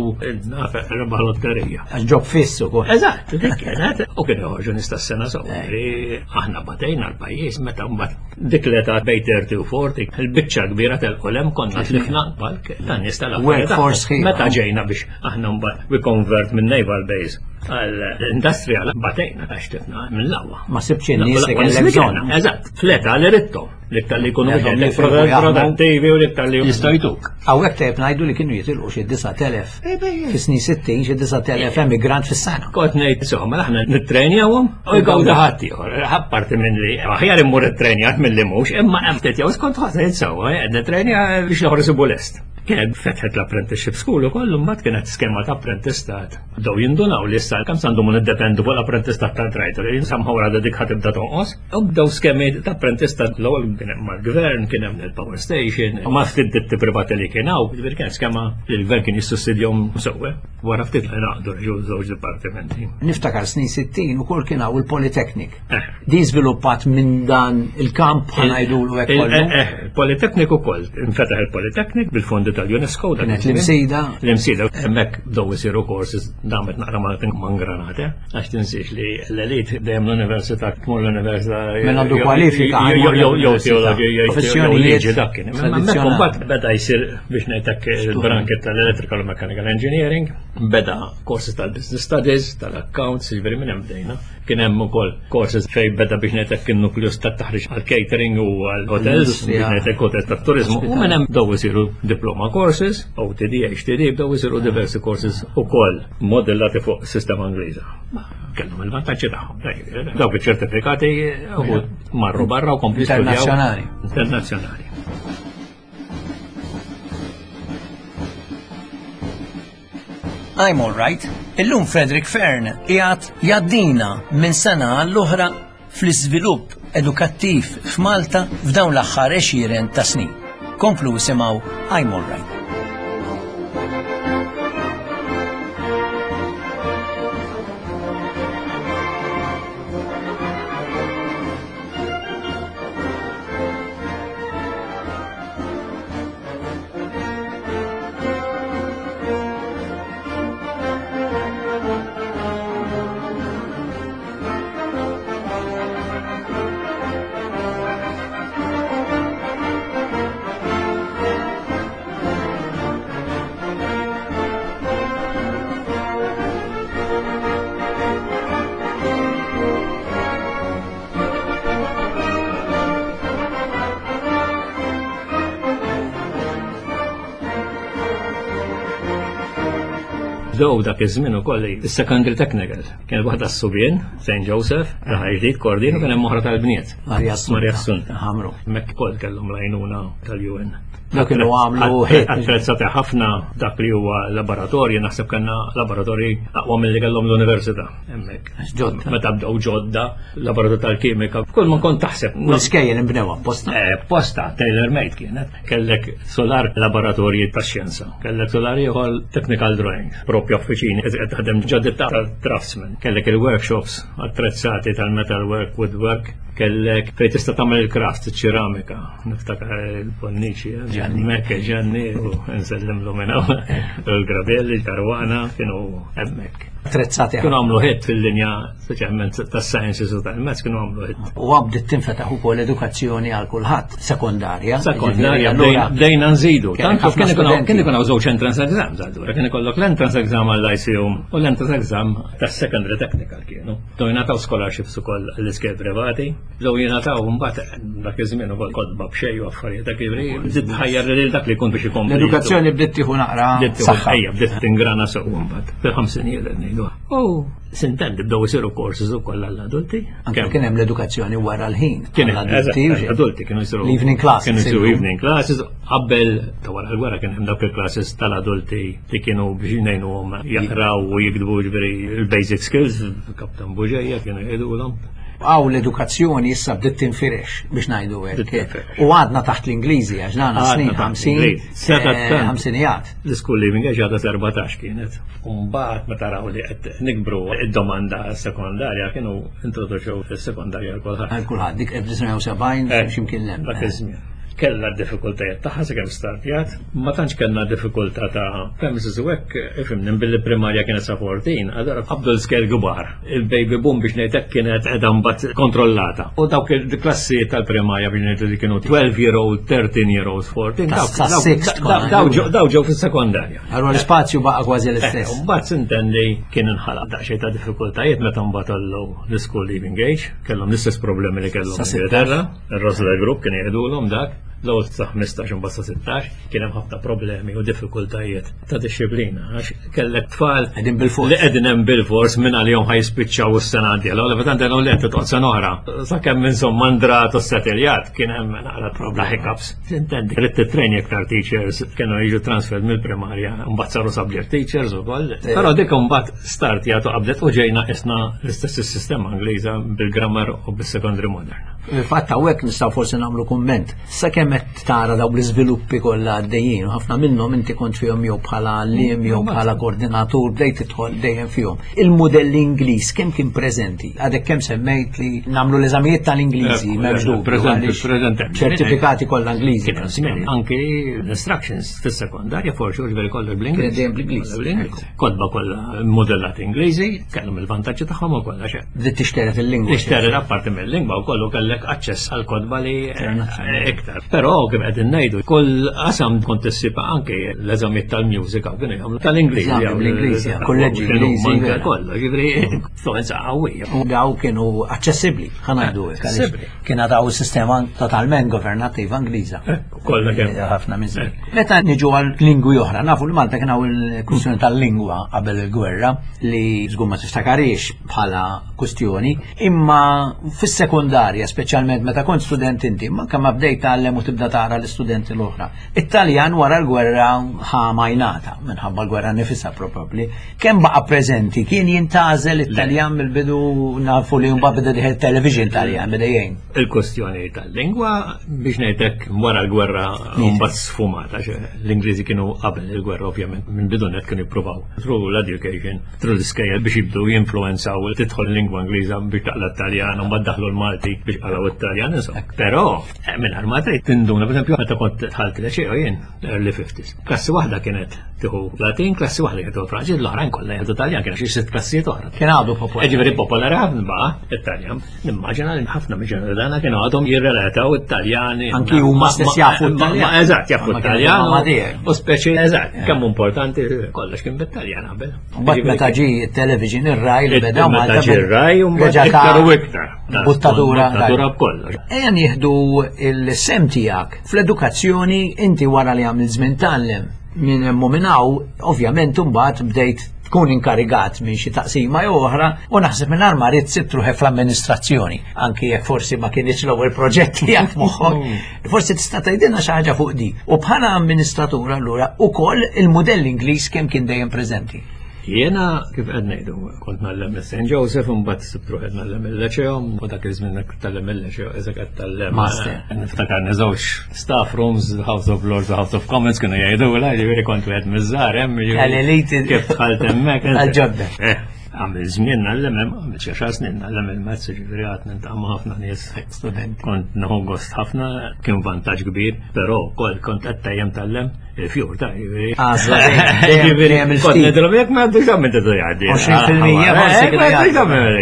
nafeq rebaħ lotterija. Għax ġob fiss ukoll. Eżatt, dik kienet. U kien joħorġu nies tas-sena sew. Aħna batejna l-pajjiż meta mbagħad dik l-età bejn 30 u 40, il-biċċa kbira telqu konna tlifna balk ta' nies tal-workforce. Meta ġejna biex aħna mbagħad we convert minn naval base għal industrial batejna għax tlifna minn l-aqwa. Ma sibx in-nies li kellek bżonn. Eżatt, fl-età li ridthom. L-iktar li jkunu produttivi u l-iktar li jistgħu jtuk. Hawnhekk tajjeb ngħidu li kienu jitilqu xi 9000 fis-snin 60 xi 9000 emigrant fis-sena. Kont ngħid insomma aħna nittrenjawhom u jgawdu ħadd ieħor. Apparti minn li aħjar immur ittrenjat milli mhux, imma hemm ftit jew skont ħadd ngħid sewwa qed nittrenja biex l-oħra isibu lest. Kienet fetħet l-apprenticeship school ukoll imbagħad kienet skema ta' apprentistat. Bdew jindunaw li issa kemm s'għandhom niddependu fuq l-apprentistat ta' drajter, jinsamħu wara dik ħatibda tonqos. U bdew skemi ta' apprentistat l-ewwel kien hemm mal-gvern, kien hemm il-power station, ma ftit ditti privati li kien hawn, ġifieri kien skema li l-gvern kien jissussidjhom sewwa. Wara ftit li naqdu ġew żewġ dipartimenti. Niftakar snin 60 ukoll kien hawn il-Polytechnic. Eh. Din żviluppat minn dan il-kamp ħanajdulu hekk kollu. Eh, eh, Polytechnic ukoll, infetaħ il-Polytechnic bil-fondi tal-UNESCO. Kienet l-imsida. L-imsida, hemmhekk bdew isiru courses damet naqra ma granate. Għax tinsiex li l-elit dejjem l-università tmur l-università. Min għandu kwalifika. Jew teologi, jew liġi dak kien. Hemmhekk imbagħad beda jsir biex ngħidlek il-branket tal-Electrical u Mechanical Engineering, beda courses tal-Business Studies, tal-Accounts, jiġifieri minn hemm bdejna. Kien hemm ukoll courses fejn beda biex ngħidlek in-nukleus tat-taħriġ għall-catering u għall-hotels, biex ngħidlek hotels tat-turiżmu. U minn hemm bdew isiru diploma courses, OTD, HTD, bdew isiru diversi courses ukoll modellati fuq sistema Ingliża. Kellhom il-vantaġġi tagħhom. Dawk iċ-ċertifikati marru barra u kompli Internazzjonali. Internazzjonali. I'm all right. Illum Frederick Fern qiegħed jgħaddina minn sena għall-oħra fl-iżvilupp edukattiv f'Malta f'dawn l-aħħar għexieren ta' snin. Komplu isimgħu I'm All Right. Bdew dak iż-żmien ukoll is-secondary technical. Kien waħda s-subien, St. Joseph, raħal ġdid, Kordin, u kien hemm oħra tal-bniet. Marja Assunta. Ħamru. Hemmhekk ukoll kellhom l-għajnuna tal-UN. Dak kienu għamlu hit. Attrezzati ħafna dak li huwa laboratorji, naħseb kellna laboratorji aqwa milli kellhom l-università hemmhekk. Ġodda. Meta bdew ġodda, laboratorju tal-kimika, kull ma kont taħseb. U l-iskejjel inbnew apposta. Eh, apposta, tailor made kienet. Kellek solar laboratorji tax-xjenza, kellek solar ieħor technical drawing, propju uffiċini qed taħdem ġodda tal-craftsman, kellek il-workshops attrezzati tal-metal work, woodwork, kellek fejn tista' tagħmel il-craft, iċ-ċeramika, niftakar il-Bonnici, Ġanni Mekke, Ġanni, u nsellimlu minn hawn, il-Gravelli, il-Karwana, kienu hemmhekk. Attrezzati. Kienu għamlu hit fil-linja Speċjalment tas-sciences u tal-maths kienu għamlu hit. U bdiet tinfetaħ ukoll edukazzjoni għal kulħadd, sekondarja. Sekondarja, bdejna nżidu. Tant kien ikun hawn żewġ entrance exams allura, kien ikollok l-entrance exam għall-ICU u l-entrance exam tas-secondary technical kienu. Bdew jingħataw scholarships ukoll l-iskejjel privati, bdew jingħataw mbagħad dak iż-żmien ukoll kotba b'xejn u affarijiet dak jiġri, bdiet tħajjar lil dak li jkun biex ikompli. L-edukazzjoni bdiet tieħu naqra. Saħħa. Bdiet tingrana sew mbagħad fil-ħamsinijiet qed ngħidu. U Sintendi bdew isiru courses ukoll għall-adulti. Anke kien hemm l-edukazzjoni wara l-ħin. Kien hemm adulti, adulti kienu jsiru. L-evening classes. Kienu jsiru evening classes qabel ta' wara l-gwerra kien hemm dawk il-classes tal-adulti li kienu biex ngħinuhom jaqraw u jiktbu ġifieri il-basic skills, Kaptan Buġeja kienu jgħidulhom. Għaw l-edukazzjoni issa bdiet tinfirex biex ngħidu hekk. U għadna taħt l-Ingliżi għax dana snin 50 ħamsinijat. L-school leaving age għadha 14 kienet. Umbagħad meta raw li qed nikbru id-domanda sekondarja kienu introduċew is-sekondarja għal kulħadd. Għal kulħadd dik 1970 eh, x'imkien hemm. Dak iż-żmien. Kellha d-diffikultajiet tagħha sakemm startjat, ma tantx kellna diffikultà ta' premises u hekk, ifhimni, billi primarja kienet sa 14, allura qabdu l-iskejjel kbar. Il-baby boom biex ngħid hekk kienet qiegħda mbagħad kontrollata. U dawk il-klassi tal-primarja biex ngħidu li kienu 12 year old, 13 year old, 14, daw ġew fis-sekondarja. Allura l-ispazju baqa' kważi l-istess. Eh, mbagħad sintendi kien inħalaq daqsxejn ta' diffikultajiet meta mbagħad għallu l-school leaving age, kellhom l-istess problemi li kellhom Ingilterra. Ir-Rosler Group kien jgħidulhom dak, l-ewwel sa 15 imbagħad sa 16, kien hemm ħafna problemi u diffikultajiet ta' dixxiplina għax kellek tfal qegħdin bil-fors li qegħdin hemm bil-fors minn għalihom ħajspiċċaw is-sena d-dieħla, u tant għalhom li qed toqgħod sena oħra. Sakemm insomma ndrat u settiljat kien hemm naqra problema hiccups. Intendi, trid titrejn iktar teachers kienu jiġu transferred mill-primarja, mbagħad saru subject teachers ukoll. Però dik imbagħad start jagħtu qabdet u ġejna isna l-istess sistema Ingliża bil-grammar u bis-secondary modern. Fil-fatt hawnhekk nistgħu forsi nagħmlu kumment. Sakemm qed tara dawk l-iżviluppi kollha għaddejjin, ħafna minnhom inti kont fihom jew bħala għalliem jew bħala koordinatur bdejt tidħol dejjem fihom. Il-mudell Ingliż kemm kien preżenti? Għadek kemm semmejt li nagħmlu l-eżamijiet tal-Ingliżi m'hemmx dubju. Preżenti, preżenti. Ċertifikati kollha Ingliżi. Anki l-instructions fis-sekondarja forsi ġifieri kollha bl-Ingliż. Dejjem bl-Ingliż. Kotba kollha modellati Ingliżi, kellhom il-vantaġġi tagħhom ukoll għax Bdiet tixteret il-lingwa. Tixteret apparti mill-lingwa wkoll u kellek aċċess għal kotba li eh, iktar. Però kif qegħdin ngħidu, kull qasam kont issib anke l-eżamijiet tal-mużika kienu jagħmlu tal-Ingliż. Bl-Ingliż, kolleġġi Ingliżi. Kollu, ġifieri influenza qawwija. U daw kienu aċċessibbli, ħa ngħidu hekk. Kien għadaw sistema totalment governattiva Ingliża. Eh, kollha kemm. Eh, ħafna minn Meta niġu għal lingwi oħra, nafu li Malta kien hawn il-kwistjoni tal-lingwa qabel il-gwerra li żgur ma tiftakarix bħala kwistjoni, imma fis-sekondarja, speċjalment meta kont student inti, ma kemm bdejt tgħallem u tibda tara l-istudenti l-oħra. It-Taljan wara l-gwerra ħa majnata minħabba l-gwerra nifisha probabbli. Kemm baqa' preżenti kien jintgħażel it-Taljan mill-bidu nafu li mbagħad beda dieħel television Taljan beda jgħin. Il-kwestjoni tal-lingwa biex ngħidlek wara l-gwerra mbagħad sfumata l-Ingliżi kienu qabel il-gwerra ovvjament minn bidu net kienu jippruvaw through l-education, through l-iskejjel biex jibdu jinfluenzaw tidħol lingwa Ingliża biex taqla t-Taljan u mbagħad daħlu l-Malti biex qalgħu it-Taljan insomma. Però eh, minn ma trid tinduna pereżempju meta kont dħalt l jien early 50s. Klassi waħda kienet tieħu Latin, klassi waħda kienet tieħu Franċiż, l-oħrajn kollha jieħdu Taljan, kien xi sitt klassijiet oħra. Kien għadu popolari. Eh, ġifieri popolari ħafna baqa' it-Taljan. Nimmaġina li ħafna mill dana kienu għadhom jirrelataw it-Taljani. Anki huma stess jafu t-Taljan. Eżatt, jafu t-Taljan. U speċi, eżatt, eh. kemm importanti kollox kien bit-Taljan qabel. Mbagħad meta ġi t-television ir-raj li beda Meta ġi ir-raj u mbagħad iktar u iktar. Buttatura. Buttatura b'kollox. Ejja nieħdu il-sem tiegħek Fl-edukazzjoni inti wara li għamilt żmien tgħallem minn hemm u minn hawn, ovvjament imbagħad bdejt tkun inkarigat minn xi taqsima jew oħra u naħseb minn ma ridt sibt ruħek fl-amministrazzjoni, anki jekk forsi ma kienx l-ewwel proġett li għand moħħok. Forsi tista' tgħidilna xi ħaġa fuq di. U bħala amministratur allura ukoll il-mudell Ingliż kemm kien dejjem preżenti. Jiena kif qed ngħidu, kont ngħallem St. Joseph u mbagħad sibt ruħi ngħallem il-Leċeo u dak iż-żmien tallem il-Leċeo eżek qed tallem. Master. Niftakar żewġ staff rooms, House of Lords u House of Commons kienu jgħidu la ġifieri kont wieħed miż-żgħar hemm. Kif dħalt hemmhekk. Għal-ġodda. Eh, għamil żmien ngħallem hemm, għamil xi xar snin ngħallem il-mezz ġifieri għad niltaqa' ma' ħafna nies. Studenti. Kont nieħu gost ħafna, kien vantaġġ kbir, però wkoll kont qed tejjem tallem Il-fjur ta' ġifieri. Għażla dejjem il-ftit. Ngħidilhom jekk ma għaddux għamil tidu jgħaddi. 20% forsi kienu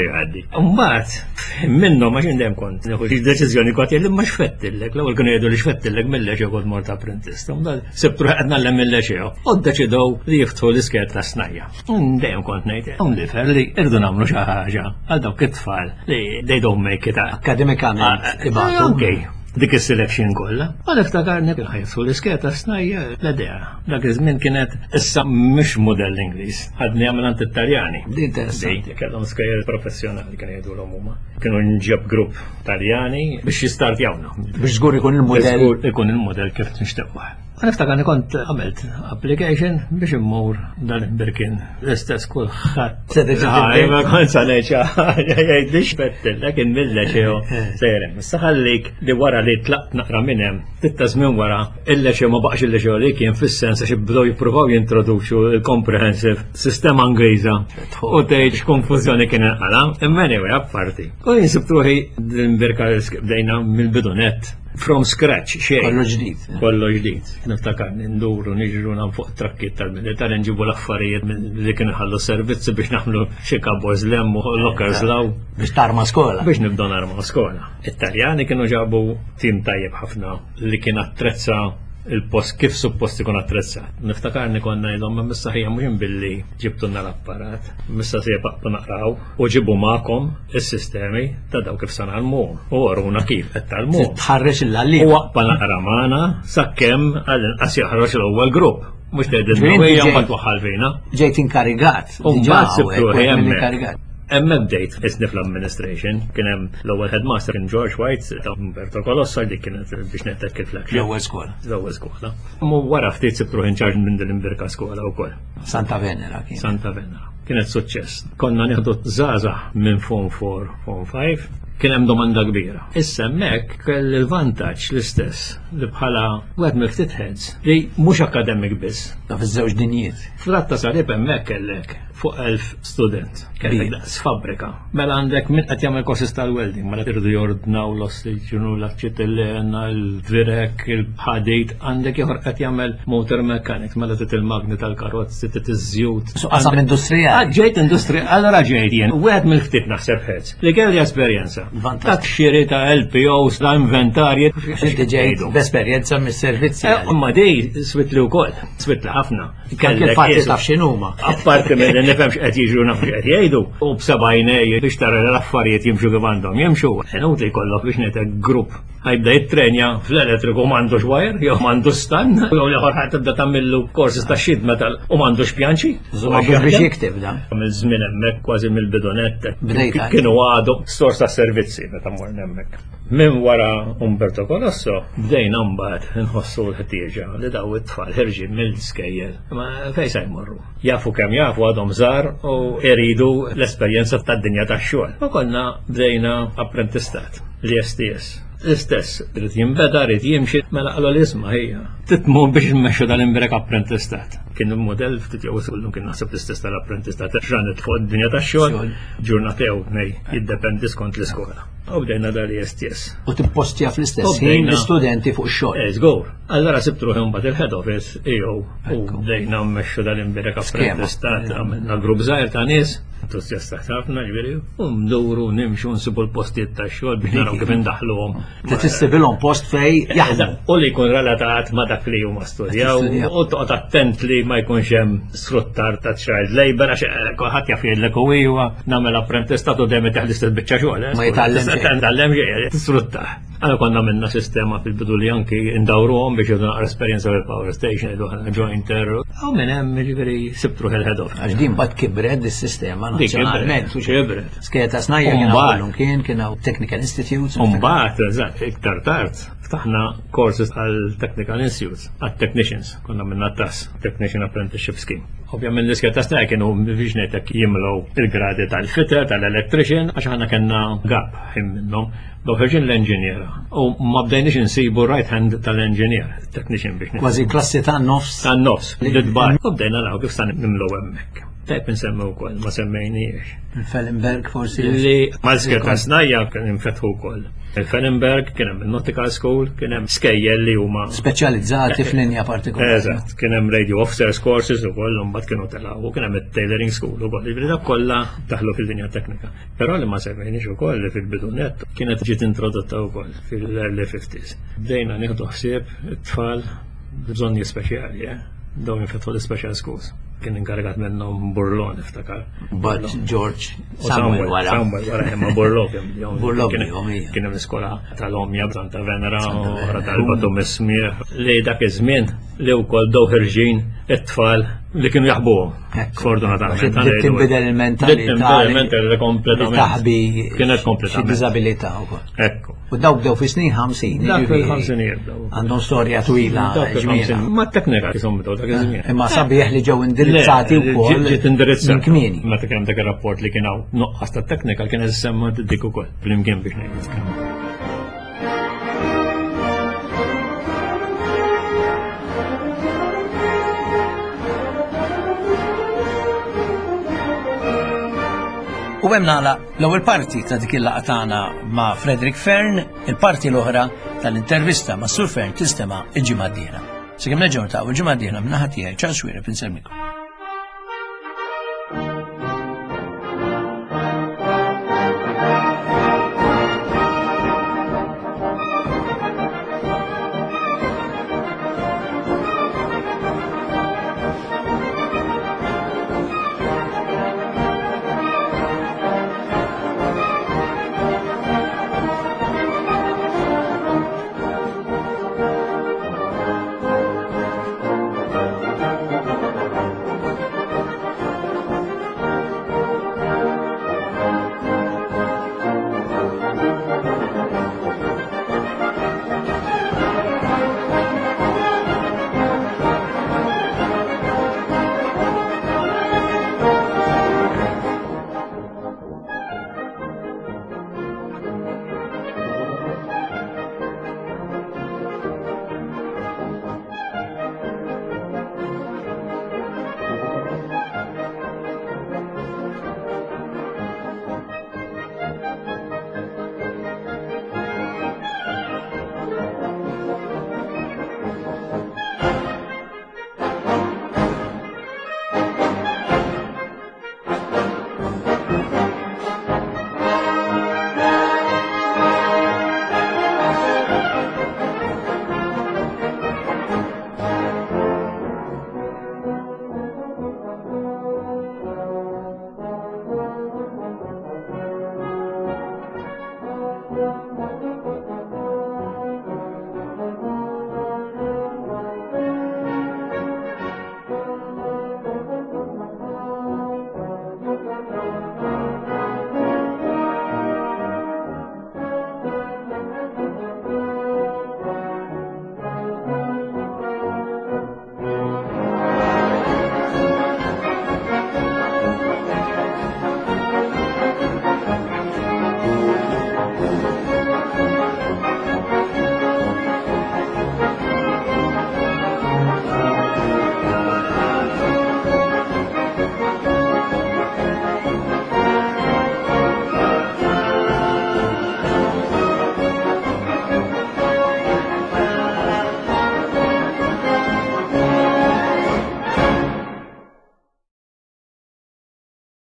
jgħaddi. Mbagħad minnhom għax dejjem kont nieħu xi deċiżjoni kont jgħid ma xfettillek, l-ewwel kienu jgħidu li xfettillek mill-leċew kont mort apprentist. Mbagħad sibtu qed nagħlem mill-leċew. U ddeċidew li jiftħu l-iskert ta' snajja. Dejjem kont ngħid, lifer li irdu nagħmlu xi ħaġa għal dawk it-tfal li they don't make it. Akademikament ah, ibatu. Okay dik is-selection kollha. Ma niftakarni kien ħajsu l-isketa snajja l-idea. Dak iż-żmien kienet issa mhux mudell Ingliż, ħadni għamil għand it-Taljani. Interessanti. Kellhom skejjel professjonali kienu jgħidulhom huma. Kienu nġeb grupp Taljani biex jistartjawna. Biex żgur ikun il-mudell. Ikun il-mudell kif nixtiequ. Niftakar li kont għamilt application biex immur dal-Birkin l-istess kulħadd. Ma kont sa ngħid xi ħaġa jgħidli x'fettillek il-milleċeo sejrem. Issa ħallik li wara li tlaqt naqra minn hemm, ftit ta' żmien wara, il-leċeo ma baqax il-leċeo li kien fis-sens għax bdew jippruvaw jintroduċu l-comprehensive sistema Ingliża u tgħid x'konfużjoni kien inqala'. Imma anyway, apparti. U jien sibt ruħi din Birka bdejna mill-bidu nett. From scratch, xejn. Kollu ġdid. Kollu ġdid. Niftakar nduru niġru nam fuq trakkiet tal-militar nġibu l-affarijiet li kienu ħallu servizzi biex naħmlu xi cupboards lem u lockers law. Biex tarma skola. Biex nibdew narma skola. It-Taljani kienu ġabu tim tajjeb ħafna li kien attrezza il-post kif suppost ikun attrezzat. Niftakarni konna ngħidhom ma missa ħija mhux billi ġibtulna l-apparat, missa se jibqgħu naqraw u ġibu magħkom is-sistemi ta' daw kif sa nagħlmuhom u waruna kif qed tgħallmuhom. Tħarreġ il-għalliem. U waqfa naqra magħna sakemm għall-inqas jaħroġ l-ewwel grupp. Mhux tgħidilna ejja mbagħad twaħħal fina. Ġejt inkarigat. U mbagħad sibtu hemmhekk. Hemmhekk bdejt isni fl-administration, kien hemm l-ewwel headmaster kien George White ta' Umberto Colossa dik kienet biex nettek il-flagship. L-ewwel skola. L-ewwel skola. Mu wara ftit sibt ruħi in charge minn din imbirka skola wkoll. Santa Venera kien. Santa Venera. Kienet suċċess. Konna nieħdu żgħażagħ minn Form 4, Form 5, kien hemm domanda kbira. Issa hemmhekk kelli l-vantaġġ l-istess li bħala wieħed mill-ftit heads li mhux akademik biss. Ta' fiż-żewġ dinjiet. Fl-att ta' salib hemmhekk kellek fuq 1000 student. Kellek daqs fabbrika. Mela għandek min qed jagħmel courses tal-welding, mela irridu jordnaw l-ossiġenu, l-aċetilena, il-virek, il-ħadid, għandek ieħor qed jagħmel motor mechanics, mela trid il-magni tal-karozzi, trid iż-żjut. So qasam industrijali. Ah, ġejt industrijali, allora ġejt jien, wieħed mill-ftit naħseb ħedz, li kelli esperjenza. Ta' xiri ta' LPOs, ta' inventarji. Inti ġejt b'esperjenza mis-servizzi. Eh, imma di switli wkoll, switli ħafna. Kellek fatti taf x'inhuma. Apparti minn li nifhem x'qed jiġru naf x'qed jgħidu, u b'sebgħinej biex tara l-affarijiet jimxu kif għandhom jimxu, inutli jkollok biex ngħidlek grupp ħajbda jittrenja fl-elettriku m'għandux wire, jew m'għandux stan, jew l-ieħor ħadd tibda tagħmillu courses ta' sheet metal u m'għandux pjanċi. Żomma biex jikteb da. Mill-żmien hemmhekk kważi mill-bidonett. Kienu għadu sors ta' servizzi meta morna hemmhekk. Minn wara Umberto Colosso bdejna mbagħad inħossu l-ħtieġa li daw it-tfal ħirġin mill-skejjel. Ma fejn se jmorru? Jafu kemm jafu għadhom żgħar u jridu l-esperjenza tad-dinja tax-xogħol. U konna bdejna apprentistat l-STS. L-istess, rrid jinbeda, rrid jimxi, mela qalu l-isma hija. Titmur biex nmexxu dal-imbrek apprentistat. Kien il-modell ftit jew kullum kien naħseb l-istess tal-apprentistat, ġranet fuq id-dinja tax-xogħol, ġurnata jew nej, jiddependi skont l-iskola. U bdejna dal-ISTS. U tippostja fl-istess ħin l-istudenti fuq xogħol. Eh, żgur. Allora sibt ruħi mbagħad il-head office jew u bdejna mmexxu dal-imbirek apprentistat għamilna grupp żgħir ta' nies entużjasta ħafna ġifieri u nduru nimxu nsibu l-postijiet tax-xogħol biex naraw kif indaħluhom. Tissibilhom post fej jaħdmu. U li jkun relatat ma' dak li huma studjaw u toqgħod attent li ma jkunx hemm sfruttar ta' child labor għax eh, kulħadd jaf jgħidlek u iwa nagħmel apprentistat u dejjem teħ l-istess biċċa xogħol. Eh. Ma jitgħallem xejn. Tgħallem xejn, tisfruttah. Għana konna minna sistema fil-bidu li anki indawruhom biex jgħidu naqra esperjenza fil-power station, jgħidu ħana jointer. Għaw minn hemm jiġifieri sibtru il-head off. Għax din bad kibred is-sistema nazzjonalment. Kibret. Sketa snajja kien hawn kien kien hawn Technical Institutes. Mbagħad, eżatt, iktar tard, ftaħna courses għal Technical Institutes, għal technicians. Konna minna tas, Technician Apprenticeship Scheme. Ovvjament l-iskeda ta' snajja kienu biex ngħidlek jimlew il-gradi tal-fitter, tal-electrician, għax aħna kellna gap ħin minnhom. Daw ħerġin l-enġiniera u ma bdejniex insibu right hand tal-enġinier, technician biex Kważi klassi ta' nofs. Ta' nofs, l-dbar. U bdejna naraw kif sa nimlew hemmhekk. Tajb insemmi wkoll, ma semmejniex. Il-Fellenberg forsi. Li mal-iskeda ta' snajja kien infetħu wkoll. Il-Fellenberg, kien hemm il-Nautical School, kien hemm skejjel li huma speċjalizzati f'linja partikolari. Eżatt, kien hemm radio officers courses ukoll imbagħad kienu telgħu u kien hemm it-tailoring school ukoll. Jiġifieri dak kollha daħlu fil-linja teknika. Però li ma semmejniex ukoll li fil-bidu nett kienet ġiet introdotta wkoll fil-early 50s. Bdejna nieħdu ħsieb it-tfal bżonni speċjali, eh? Dawn infetħu l-special schools. Kien inkarigat minnhom Burlon iftakar. But George Samuel wara. Samuel wara imma Burlon kien Burlon kien hemm iskola tal-Omja Santa Venera oħra tal-Batu Mismieħ li dak iż-żmien li wkoll daw ħirġin it-tfal li kienu jaħbuhom. Fortunatament. Tinbidel il-mentalità. Tinbidel il-mentalità kompletament. Taħbi. Kienet kompletament. Xi diżabilità wkoll. Ekku. U dawk bdew fi snin 50. Dak fil-ħamsinijiet bdew. Għandhom storja twila. ġmiela. Ma t-teknika kisom bdew dak iż-żmien. Imma sabiħ li ġew indirizzati wkoll. Ġiet indirizzati. Minn kmieni. Meta kien hemm dak ir-rapport li kien hawn nuqqas ta' teknika kien semma dik ukoll flimkien biex ngħid. U hemm nagħlaq l-ewwel parti ta' dik il-laqgħa tagħna ma' Frederick Fern, il-parti l-oħra tal-intervista ma' Sur Fern tinstema' il-ġimgħa d-dieħla. Sakemm nerġgħu niltaqgħu il-ġimgħa d-dieħla min-naħa tiegħi Charles Xuereb insellmikom.